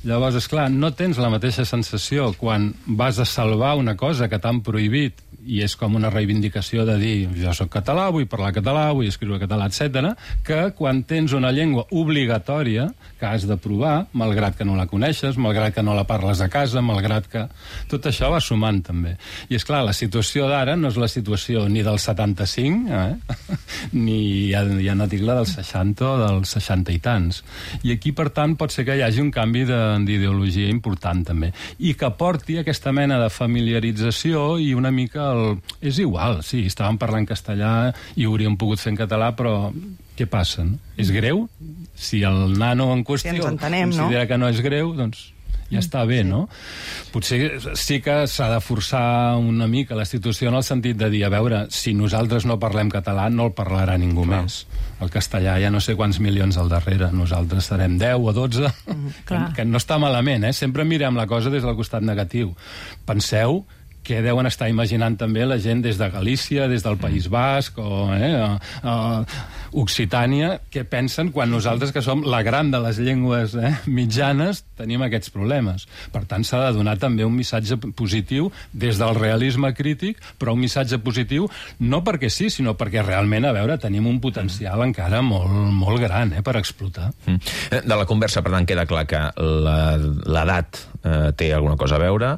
Llavors, esclar, no tens la mateixa sensació quan vas a salvar una cosa que t'han prohibit i és com una reivindicació de dir jo soc català, vull parlar català, vull escriure català, etcètera, que quan tens una llengua obligatòria que has de provar, malgrat que no la coneixes, malgrat que no la parles a casa, malgrat que... Tot això va sumant, també. I, és clar, la situació d'ara no és la situació ni del setanta-cinc, eh? ni ja, ja no dic la del seixanta o dels seixanta i tants. I aquí, per tant, pot ser que hi hagi un canvi d'ideologia important, també. I que porti aquesta mena de familiarització i una mica el... És igual, sí, estàvem parlant castellà i ho hauríem pogut fer en català, però què passa? No? És greu? Si el nano en qüestió si ens entenem, considera no? que no és greu, doncs ja està bé, sí. No? Potser sí que s'ha de forçar una mica la situació en el sentit de dir, a veure, si nosaltres no parlem català, no el parlarà ningú Clar. Més. El castellà hi ha no sé quants milions al darrere, nosaltres serem deu o dotze, mm, que, que no està malament, eh? Sempre mirem la cosa des del costat negatiu. Penseu que deuen estar imaginant també la gent des de Galícia, des del País Basc o eh, a, a Occitània, que pensen quan nosaltres, que som la gran de les llengües eh, mitjanes, tenim aquests problemes. Per tant, s'ha de donar també un missatge positiu des del realisme crític, però un missatge positiu no perquè sí, sinó perquè realment, a veure, tenim un potencial encara molt, molt gran eh, per explotar. Mm. De la conversa, per tant, queda clar que l'edat eh, té alguna cosa a veure.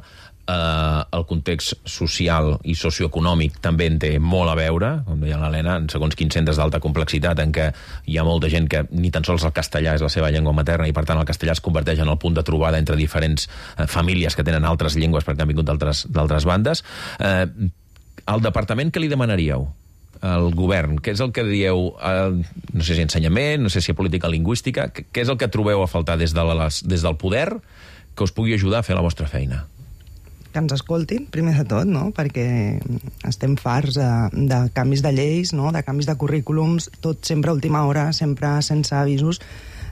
Uh, el context social i socioeconòmic també en té molt a veure, com deia l'Helena, en segons quins centres d'alta complexitat en què hi ha molta gent que ni tan sols el castellà és la seva llengua materna i per tant el castellà es converteix en el punt de trobada entre diferents uh, famílies que tenen altres llengües perquè han vingut d'altres bandes. Uh, al departament què li demanaríeu? El govern, què és el que dieu, uh, no sé si ensenyament, no sé si política lingüística, què és el que trobeu a faltar des, de les, des del poder que us pugui ajudar a fer la vostra feina? Que ens escoltin, primer de tot, no? Perquè estem farts de, de canvis de lleis, no? De canvis de currículums, tot sempre a última hora, sempre sense avisos,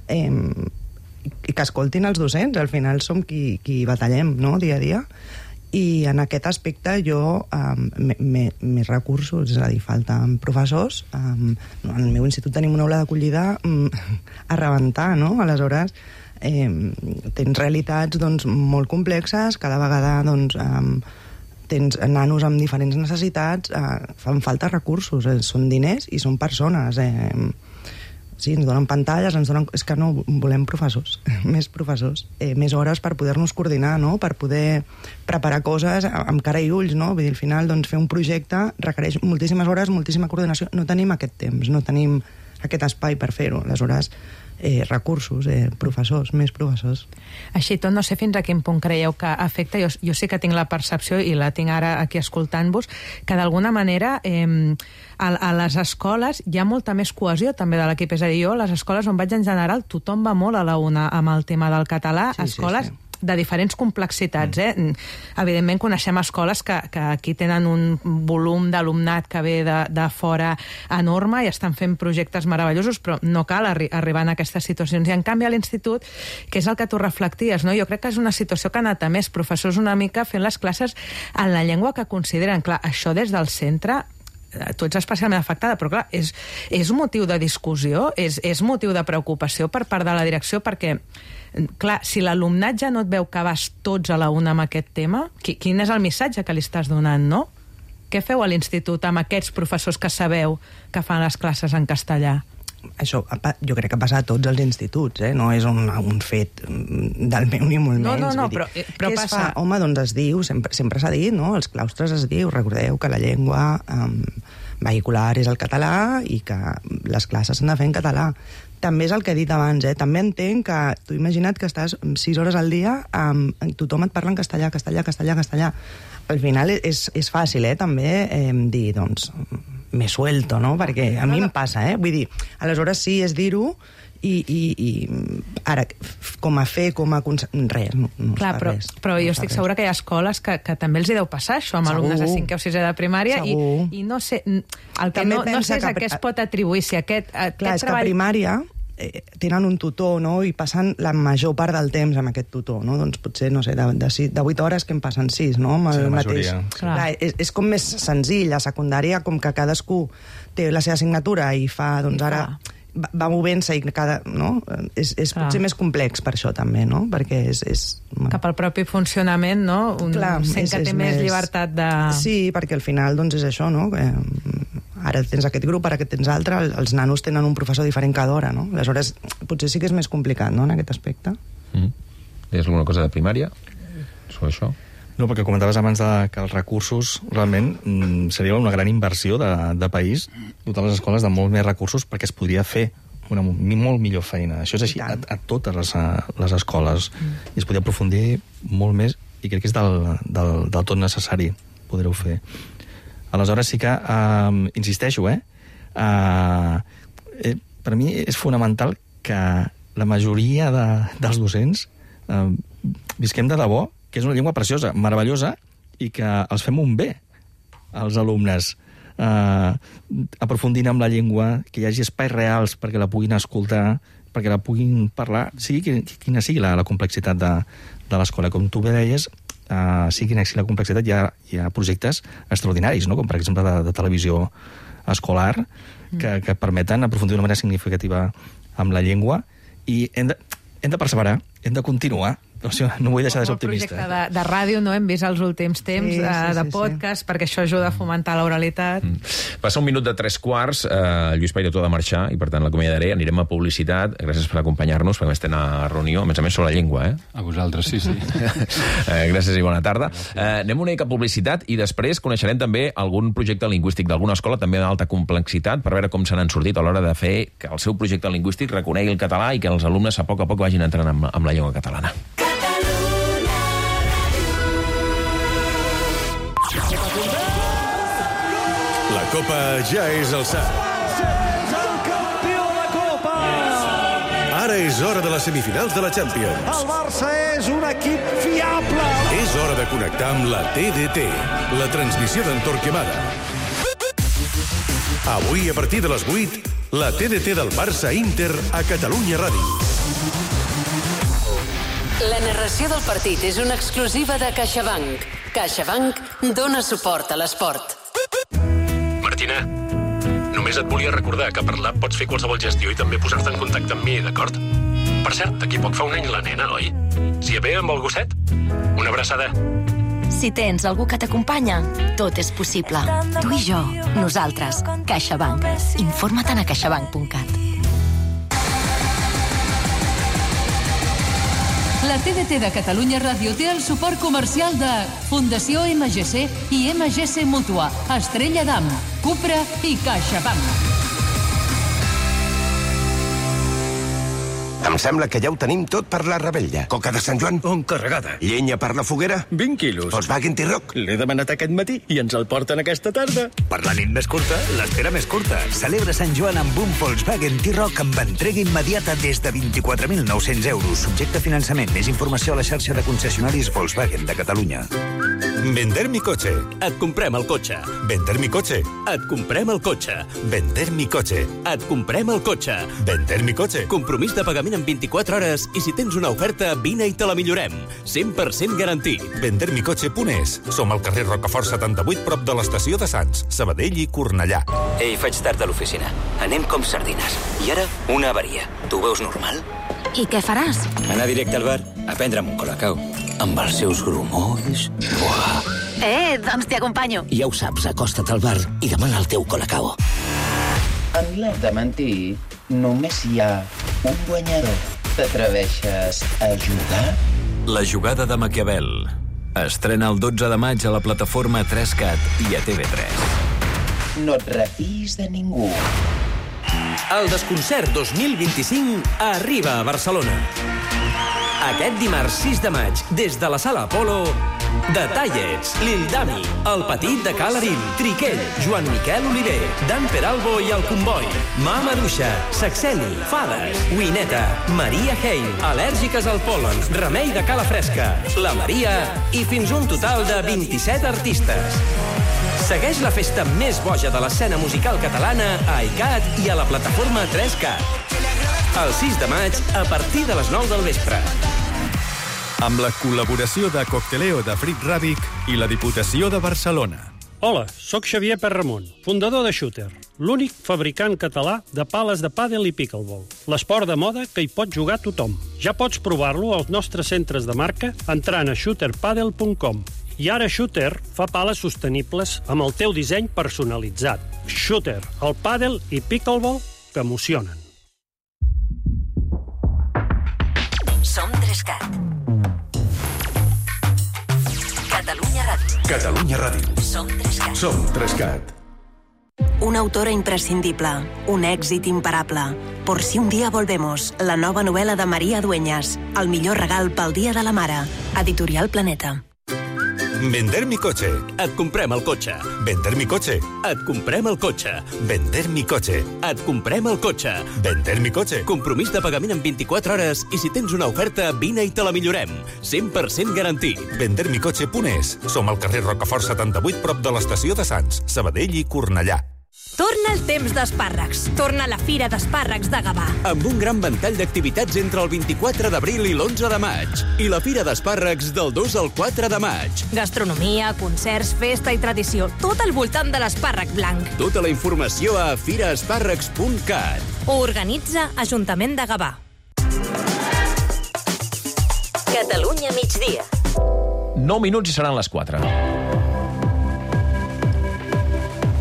eh, i que escoltin els docents, al final som qui, qui batallem, no? Dia a dia. I en aquest aspecte jo, eh, més recursos, és a dir, falten professors. Eh, en el meu institut tenim una aula d'acollida eh, a rebentar, no? Aleshores, Eh, tens realitats doncs, molt complexes, cada vegada doncs, eh, tens nanos amb diferents necessitats, eh, fan falta recursos, eh, són diners i són persones. Eh, sí, ens donen pantalles, ens donen... és que no, volem professors, més professors, eh, més hores per poder-nos coordinar, no? Per poder preparar coses amb cara i ulls, no? Vull dir, al final, doncs, fer un projecte requereix moltíssimes hores, moltíssima coordinació, no tenim aquest temps, no tenim aquest espai per fer-ho, aleshores Eh, recursos, eh, professors, més professors. Així tot, no sé fins a quin punt creieu que afecta, jo, jo sí que tinc la percepció i la tinc ara aquí escoltant-vos, que d'alguna manera eh, a, a les escoles hi ha molta més cohesió també de l'equip, és a dir, jo a les escoles on vaig en general tothom va molt a la una amb el tema del català, sí, escoles sí, sí. de diferents complexitats. Eh? Evidentment coneixem escoles que, que aquí tenen un volum d'alumnat que ve de, de fora enorme i estan fent projectes meravellosos, però no cal arri arribar a aquestes situacions. I en canvi a l'institut, que és el que tu reflecties, no? Jo crec que és una situació que ha anat a més, professors una mica fent les classes en la llengua que consideren. Clar, això des del centre tu ets especialment afectada, però clar, és, és motiu de discussió, és, és motiu de preocupació per part de la direcció, perquè, clar, si l'alumnat ja no et veu que vas tots a la una amb aquest tema, qui, quin és el missatge que li estàs donant, no? Què feu a l'institut amb aquests professors que sabeu que fan les classes en castellà? Això jo crec que passa a tots els instituts, eh? No és un, un fet del meu ni molt no, menys. No, no, dir, però, però què passa... es fa? Home, doncs es diu, sempre sempre s'ha dit, no? Als claustres es diu, recordeu que la llengua um, vehicular és el català i que les classes s'han de fer en català. També és el que he dit abans, eh? També entenc que tu imagina't que estàs sis hores al dia, um, tothom et parla en castellà, castellà, castellà, castellà. Al final és, és fàcil, eh, també, eh, dir, doncs, me suelto, no? Perquè a mi em passa, eh? Vull dir, aleshores sí, és dir-ho, i, i, i ara, com a fer, com a... Res, no, no Clar, es fa però, res. però jo no estic res. segura que hi ha escoles que, que també els hi deu passar això amb Segur. alumnes de cinquè o sisè de primària, i, i no sé, el que També no, no pensa sé és que- a què es pot atribuir, si aquest, aquest Clar, és treball... que a primària eh, tenen un tutor, no?, i passen la major part del temps amb aquest tutor, no? Doncs potser, no sé, de, de, sis, de vuit hores que en passen sis, no?, amb el Sí, la mateix. majoria. Clar. Clar, és, és com més senzill. A secundària, com que cadascú té la seva assignatura i fa, doncs ara... va, va movent-se i cada... No? És, és potser més complex per això, també, no? Perquè és... és Cap al propi funcionament, no? Un Clar, sent és- que té és més més- llibertat de... Sí, perquè al final doncs és això, no? Que, ara tens aquest grup, ara que tens altre, els nanos tenen un professor diferent cada hora, no? Aleshores, potser sí que és més complicat, no?, en aquest aspecte. Mm. És alguna cosa de primària sobre això? No, perquè comentaves abans de, que els recursos realment mm, seria una gran inversió de, de país, dotar les escoles de molt més recursos perquè es podria fer una molt millor feina. Això és així a, a totes les, a, les escoles. Mm. I es podria aprofundir molt més i crec que és del, del, del tot necessari poder-ho fer. Aleshores sí que, uh, insisteixo, eh? Uh, eh, per mi és fonamental que la majoria de, dels docents uh, visquem de debò, que és una llengua preciosa, meravellosa, i que els fem un bé als alumnes. Uh, aprofundint amb la llengua, que hi hagi espais reals perquè la puguin escoltar, perquè la puguin parlar, sigui quina sigui la, la complexitat de, de l'escola. Com tu bé deies, uh, sigui quina sigui la complexitat, hi ha, hi ha projectes extraordinaris, no? Com per exemple de, de televisió escolar, que, que permeten aprofundir d'una manera significativa amb la llengua, i hem de, hem de perseverar, hem de continuar. O sigui, no vull deixar de ser optimista. El projecte de, de ràdio no hem vist els últims temps, Sí, de, sí, de sí, podcast, sí. perquè això ajuda a fomentar l'oralitat. Mm. Passa un minut de tres quarts, eh, Lluís Pairetó ha de marxar, i per tant l'acomiadaré, anirem a publicitat. Gràcies per acompanyar-nos, perquè a més tenen a reunió, a més a més sobre la llengua, eh? A vosaltres, sí, sí. eh, gràcies i bona tarda. Eh, anem una mica a publicitat i després coneixerem també algun projecte lingüístic d'alguna escola, també d'alta complexitat, per veure com se n'han sortit a l'hora de fer que el seu projecte lingüístic reconegui el català i que els alumnes a poc a poc vagin entrant amb, amb la llengua catalana. La Copa ja és al sac. El campió de Copa! Ara és hora de les semifinals de la Champions. El Barça és un equip fiable! És hora de connectar amb la T D T, la transmissió d'en Torquemada. Avui, a partir de les vuit, la T D T del Barça Inter a Catalunya Ràdio. La narració del partit és una exclusiva de CaixaBank. CaixaBank dona suport a l'esport. Martina, només et volia recordar que per l'app pots fer qualsevol gestió i també posar-te en contacte amb mi, d'acord? Per cert, d'aquí poc fa un any la nena, oi? S'hi ve amb el gosset? Una abraçada. Si tens algú que t'acompanya, tot és possible. Tu i jo, nosaltres, CaixaBank. Informa-te'n a caixabank punt cat. La T D T de Catalunya Ràdio té el suport comercial de Fundació M G C i M G C Mútua, Estrella d'Am, Cupra i CaixaBank. Em sembla que ja ho tenim tot per la rebella. Coca de Sant Joan? On carregada. Llenya per la foguera? vint quilos. Volkswagen T-Roc? L'he demanat aquest matí i ens el porten aquesta tarda. Per la nit més curta, l'espera més curta. Celebra Sant Joan amb un Volkswagen T-Roc amb entrega immediata des de vint-i-quatre mil nou-cents euros. Subjecte a finançament. Més informació a la xarxa de concessionaris Volkswagen de Catalunya. Vender mi coche. Et comprem el cotxe. Vender mi coche. Et comprem el cotxe. Vender mi coche. Et comprem el cotxe. Vender mi coche. Compromís de pagament pagament en vint-i-quatre hores i si tens una oferta, vine i te la millorem. cent per cent garantit. vender mi cotxe punt es. Som al carrer Rocafort setanta-vuit, prop de l'estació de Sants, Sabadell i Cornellà. Ei, faig tard a l'oficina. Anem com sardines. I ara, una avaria. Tu ho veus normal? I què faràs? Anar directe al bar a prendre'm un colacao. Amb els seus grumolls... Buah! Eh, doncs t'hi acompanyo. Ja ho saps, acosta't al bar i demana el teu colacao. En l'art de mentir, només hi ha un guanyador. T'atreveixes a jugar? La jugada de Maquiavel. Estrena el dotze de maig a la plataforma tres cat i a T V tres. No et refiïs de ningú. El Desconcert dos mil vint-i-cinc arriba a Barcelona. Aquest dimarts sis de maig, des de la Sala Apolo, The Tallets, Lil Dami, El Petit de Ca l'Arim, Triquell, Joan Miquel Oliver, Dan Peralbo i El Comboi, Mama Duixa, Saxeni, Fades, Wineta, Maria Hein, Al·lèrgiques al pol·len, Remei de Cala Fresca, La Maria i fins un total de vint-i-set artistes. Segueix la festa més boja de l'escena musical catalana a iCat i a la plataforma tres cat. El sis de maig, a partir de les nou del vespre. Amb la col·laboració de Cocteleo de Frit Ràbic i la Diputació de Barcelona. Hola, sóc Xavier Perramon, fundador de Shooter, l'únic fabricant català de pales de pàdel i pickleball. L'esport de moda que hi pot jugar tothom. Ja pots provar-lo als nostres centres de marca entrant a shooter padel punt com. I ara Shooter fa pales sostenibles amb el teu disseny personalitzat. Shooter, el pàdel i pickleball que emocionen. Som tres cat. Catalunya Ràdio. Catalunya Ràdio. Som tres cat. Som tres cat. Una autora imprescindible, un èxit imparable. Por si un día volvemos, la nova novel·la de Maria Dueñas. El millor regal pel Dia de la Mare. Editorial Planeta. Vender mi cotxe. Et comprem el cotxe. Vender mi cotxe. Et comprem el cotxe. Vender mi cotxe. Et comprem el cotxe. Vender mi cotxe. Compromís de pagament en vint-i-quatre hores i si tens una oferta, vine i te la millorem. cent per cent garantit. vender mi cotxe punt es. Som al carrer Rocafort setanta-vuit, prop de l'estació de Sants, Sabadell i Cornellà. Torna el temps d'espàrrecs. Torna la Fira d'Espàrrecs de Gavà. Amb un gran ventall d'activitats entre el vint-i-quatre d'abril i l'onze de maig. I la Fira d'Espàrrecs del dos al quatre de maig. Gastronomia, concerts, festa i tradició. Tot al voltant de l'espàrrec blanc. Tota la informació a fira espàrrecs punt cat. Ho organitza Ajuntament de Gavà. Catalunya migdia. nou minuts i seran les quatre.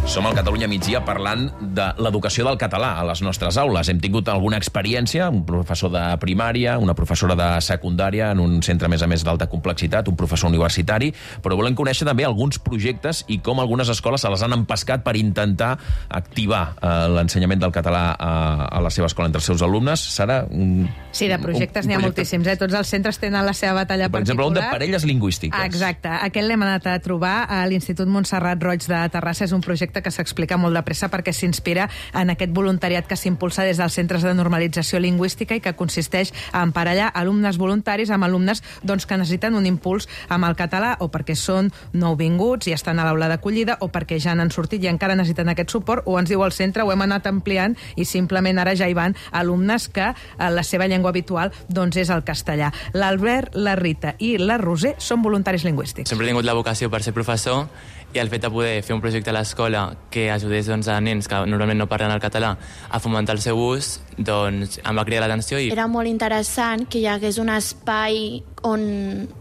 Som al Catalunya migdia parlant de l'educació del català a les nostres aules. Hem tingut alguna experiència, un professor de primària, una professora de secundària en un centre, a més a més, d'alta complexitat, un professor universitari, però volem conèixer també alguns projectes i com algunes escoles se les han empescat per intentar activar eh, l'ensenyament del català a, a la seva escola entre els seus alumnes. Sara, un, Sí, de projectes n'hi ha moltíssims. Eh? Tots els centres tenen la seva batalla per particular. Per exemple, un de parelles lingüístiques. Ah, exacte. Aquest l'hem anat a trobar a l'Institut Montserrat Roig de Terrassa. És un projecte que s'explica molt de pressa perquè s'inspira en aquest voluntariat que s'impulsa des dels centres de normalització lingüística i que consisteix a emparellar alumnes voluntaris amb alumnes doncs, que necessiten un impuls amb el català o perquè són nouvinguts i estan a l'aula d'acollida o perquè ja n'han sortit i encara necessiten aquest suport, o ens diu el centre, ho hem anat ampliant i simplement ara ja hi van alumnes que la seva llengua habitual doncs, és el castellà. L'Albert, la Rita i la Roser són voluntaris lingüístics. Sempre he tingut la vocació per ser professor i el fet de poder fer un projecte a l'escola que ajudés doncs, a nens que normalment no parlen el català a fomentar el seu ús, doncs em va cridar l'atenció. I... Era molt interessant que hi hagués un espai on,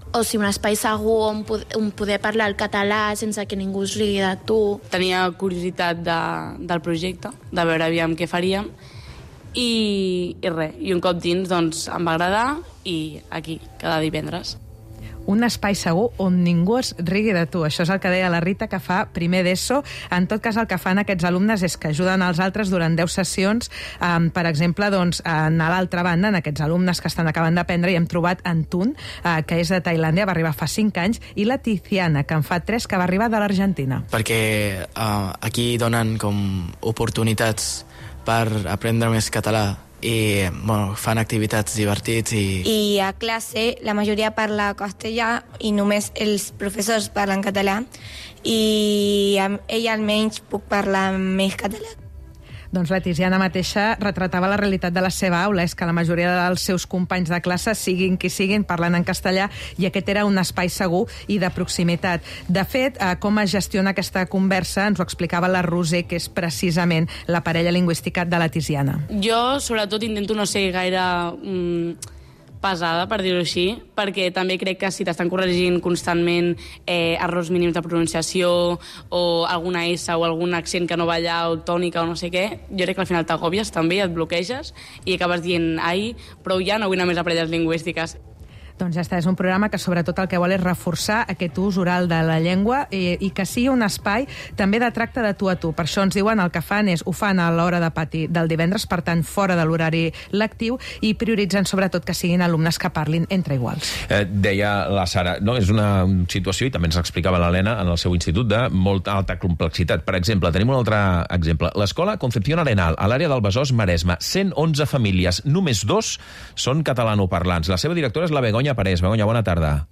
o sigui, un espai segur on, on poder parlar el català sense que ningú es rigui de tu. Tenia curiositat de, del projecte, de veure aviam què faríem, i, i res, i un cop dins doncs, em va agradar i aquí, cada divendres. Un espai segur on ningú es rigui de tu. Això és el que deia la Rita, que fa primer d'ESO. En tot cas, el que fan aquests alumnes és que ajuden als altres durant deu sessions. Um, per exemple, doncs, en l'altra banda, en aquests alumnes que estan acabant d'aprendre, hi hem trobat en Tun, uh, que és de Tailàndia, va arribar fa cinc anys, i la Tiziana, que en fa tres, que va arribar de l'Argentina. Perquè uh, aquí donen com oportunitats per aprendre més català i bueno, fan activitats divertits i... I a classe la majoria parla castellà i només els professors parlen català i amb ell almenys puc parlar més català. Doncs la Tiziana mateixa retratava la realitat de la seva aula, és que la majoria dels seus companys de classe, siguin qui siguin, parlen en castellà, i aquest era un espai segur i de proximitat. De fet, eh, com es gestiona aquesta conversa ens ho explicava la Roser, que és precisament la parella lingüística de la Tiziana. Jo, sobretot, intento no ser gaire mm, pesada, per dir-ho així, perquè també crec que si t'estan corregint constantment eh, errors mínims de pronunciació o alguna S o algun accent que no va allà o tònica o no sé què, jo crec que al final t'agobies també, et bloqueges i acabes dient, ai, prou ja, no vull anar més a parelles lingüístiques. Doncs ja està, és un programa que sobretot el que vol és reforçar aquest ús oral de la llengua i, i que sigui un espai també de tracte de tu a tu. Per això ens diuen el que fan és, ho fan a l'hora de pati del divendres, per tant, fora de l'horari lectiu, i prioritzen sobretot que siguin alumnes que parlin entre iguals. Eh, deia la Sara, no, és una situació, i també ens explicava l'Helena en el seu institut, de molta alta complexitat. Per exemple, tenim un altre exemple. L'escola Concepción Arenal, a l'àrea del Besòs Maresme, cent onze famílies, només dos són catalanoparlants. La seva directora és la Begoña Parés. Begoña, bona tarda.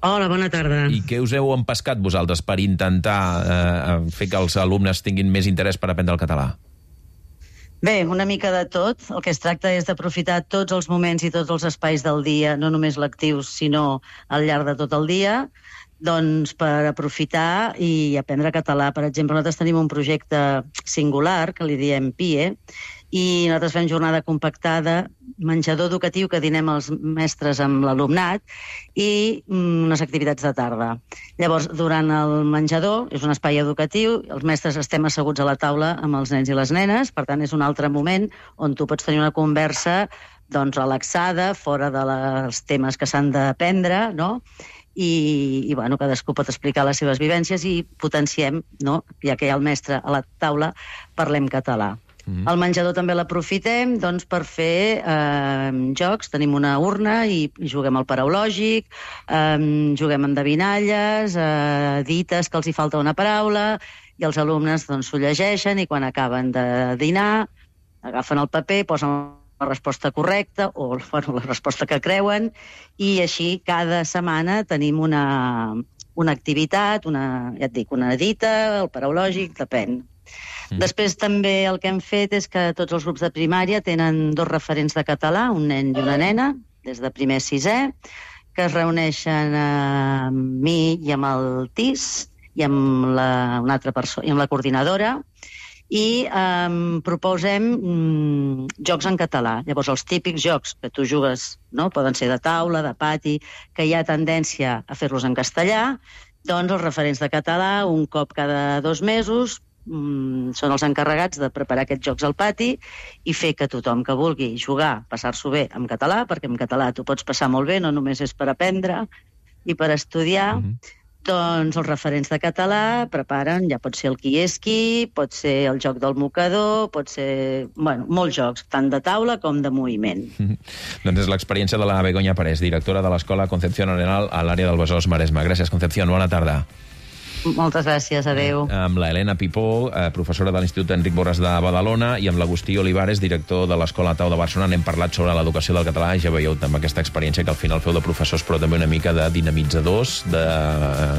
Hola, bona tarda. I què us heu empescat vosaltres per intentar eh, fer que els alumnes tinguin més interès per aprendre el català? Bé, una mica de tot. El que es tracta és d'aprofitar tots els moments i tots els espais del dia, no només lectius, sinó al llarg de tot el dia, doncs per aprofitar i aprendre català. Per exemple, nosaltres tenim un projecte singular, que li diem P I E, i nosaltres fem jornada compactada, menjador educatiu, que dinem els mestres amb l'alumnat, i unes activitats de tarda. Llavors, durant el menjador, és un espai educatiu, els mestres estem asseguts a la taula amb els nens i les nenes, per tant, és un altre moment on tu pots tenir una conversa doncs, relaxada, fora dels temes que s'han d'aprendre, no?, i, i bueno, cadascú pot explicar les seves vivències i potenciem, no?, ja que hi ha el mestre a la taula, parlem català. Mm-hmm. El menjador també l'aprofitem doncs, per fer eh, jocs. Tenim una urna i juguem al paraulògic, eh, juguem endevinalles, eh, dites que els hi falta una paraula, i els alumnes doncs, s'ho llegeixen i quan acaben de dinar agafen el paper, posen la resposta correcta o bueno, la resposta que creuen, i així cada setmana tenim una, una activitat, una, ja et dic, una dita, el paraulògic, depèn. Mm. Després també el que hem fet és que tots els grups de primària tenen dos referents de català, un nen i una nena, des de primer a sisè, que es reuneixen amb mi i amb el T I S i amb la, una altra persona, i amb la coordinadora, i um, proposem um, jocs en català. Llavors, els típics jocs que tu jugues, no?, poden ser de taula, de pati, que hi ha tendència a fer-los en castellà, doncs els referents de català, un cop cada dos mesos, um, són els encarregats de preparar aquests jocs al pati i fer que tothom que vulgui jugar, passar-s'ho bé en català, perquè en català t'ho pots passar molt bé, no només és per aprendre i per estudiar, mm-hmm. Doncs els referents de català preparen, ja pot ser el qui és qui, pot ser el joc del mocador, pot ser, bueno, molts jocs, tant de taula com de moviment. Mm-hmm. Doncs és l'experiència de la Begoña Parés, directora de l'Escola Concepción Arenal a l'àrea del Besòs Maresme. Gràcies, Concepción, bona tarda. Moltes gràcies, adeu. Amb la Helena Pipó, eh, professora de l'Institut Enric Borràs de Badalona, i amb l'Agustí Olivares, director de l'Escola Tau de Barcelona. N'hem parlat sobre l'educació del català, ja veieu amb aquesta experiència que al final feu de professors, però també una mica de dinamitzadors, de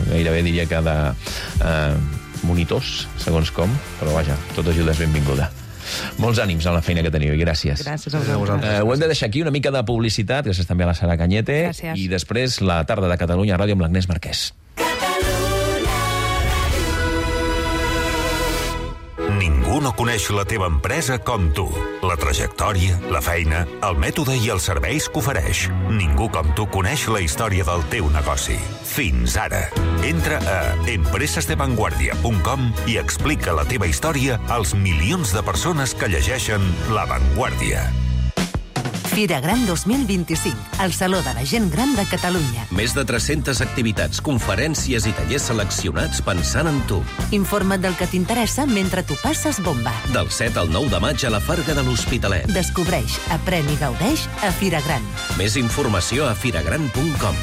gairebé diria que de eh, monitors, segons com, però vaja, tota ajuda és benvinguda. Molts ànims a la feina que teniu i gràcies. Gràcies a vosaltres. Eh, ho hem de deixar aquí, una mica de publicitat, gràcies també a la Sara Cañete, gràcies. I després la tarda de Catalunya Ràdio amb l'Agnès Marquès. Ningú no coneix la teva empresa com tu. La trajectòria, la feina, el mètode i els serveis que ofereix. Ningú com tu coneix la història del teu negoci. Fins ara. Entra a empresas de vanguardia punt com i explica la teva història als milions de persones que llegeixen La Vanguardia. Fira Gran dos mil vint-i-cinc, el Saló de la Gent Gran de Catalunya. Més de tres-centes activitats, conferències i tallers seleccionats pensant en tu. Informa't del que t'interessa mentre tu passes bomba. Del set al nou de maig a la Farga de l'Hospitalet. Descobreix, aprèn i gaudeix a Fira Gran. Més informació a firagran punt com.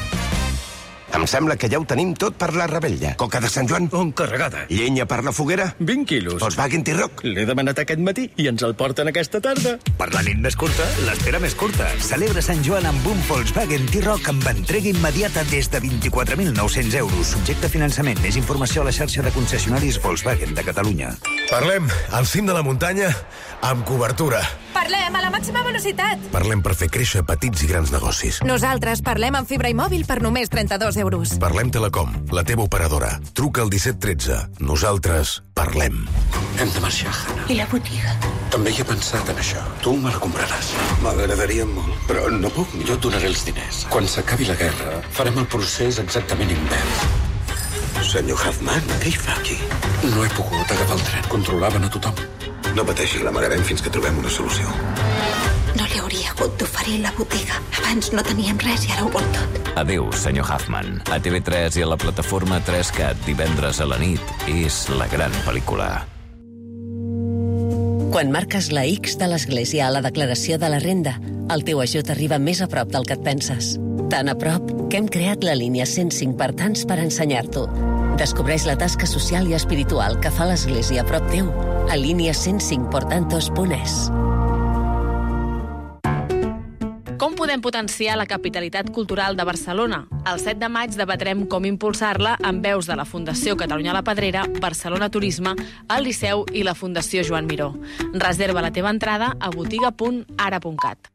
Em sembla que ja ho tenim tot per la rebella. Coca de Sant Joan? On carregada? Llenya per la foguera? vint quilos. Volkswagen T-Roc? L'he demanat aquest matí i ens el porten aquesta tarda. Per la nit més curta, l'espera més curta. Celebra Sant Joan amb un Volkswagen T-Roc amb entrega immediata des de vint-i-quatre mil nou-cents euros. Subjecte a finançament. Més informació a la xarxa de concessionaris Volkswagen de Catalunya. Parlem al cim de la muntanya amb cobertura. Parlem a la màxima velocitat. Parlem per fer créixer petits i grans negocis. Nosaltres parlem amb fibra i mòbil per només trenta-dos euros. Parlem Telecom, la teva operadora. Truca al disset tretze. Nosaltres parlem. Hem de marxar, Hannah. I la botiga? També hi he pensat en això. Tu me la compraràs. M'agradaria molt, però no puc. Jo et donaré els diners. Quan s'acabi la guerra, farem el procés exactament invers. Senyor Huffman, què hi fa aquí? No he pogut agafar el tren. Controlaven a tothom. No pateixi, l'amagarem fins que trobem una solució. No li hauria hagut d'oferir la botiga. Abans no teníem res i ara ho vol tot. Adéu, senyor Huffman. A T V tres i a la plataforma tres cat divendres a la nit és la gran pel·lícula. Quan marques la X de l'Església a la declaració de la renda, el teu ajut arriba més a prop del que et penses. Tan a prop que hem creat la línia cent cinc per tants per ensenyar-t'ho. Descobreix la tasca social i espiritual que fa l'Església a prop teu a línia cent cinc por tantos punt es. Com podem potenciar la capitalitat cultural de Barcelona? El set de maig debatrem com impulsar-la amb veus de la Fundació Catalunya La Pedrera, Barcelona Turisme, el Liceu i la Fundació Joan Miró. Reserva la teva entrada a botiga punt ara punt cat.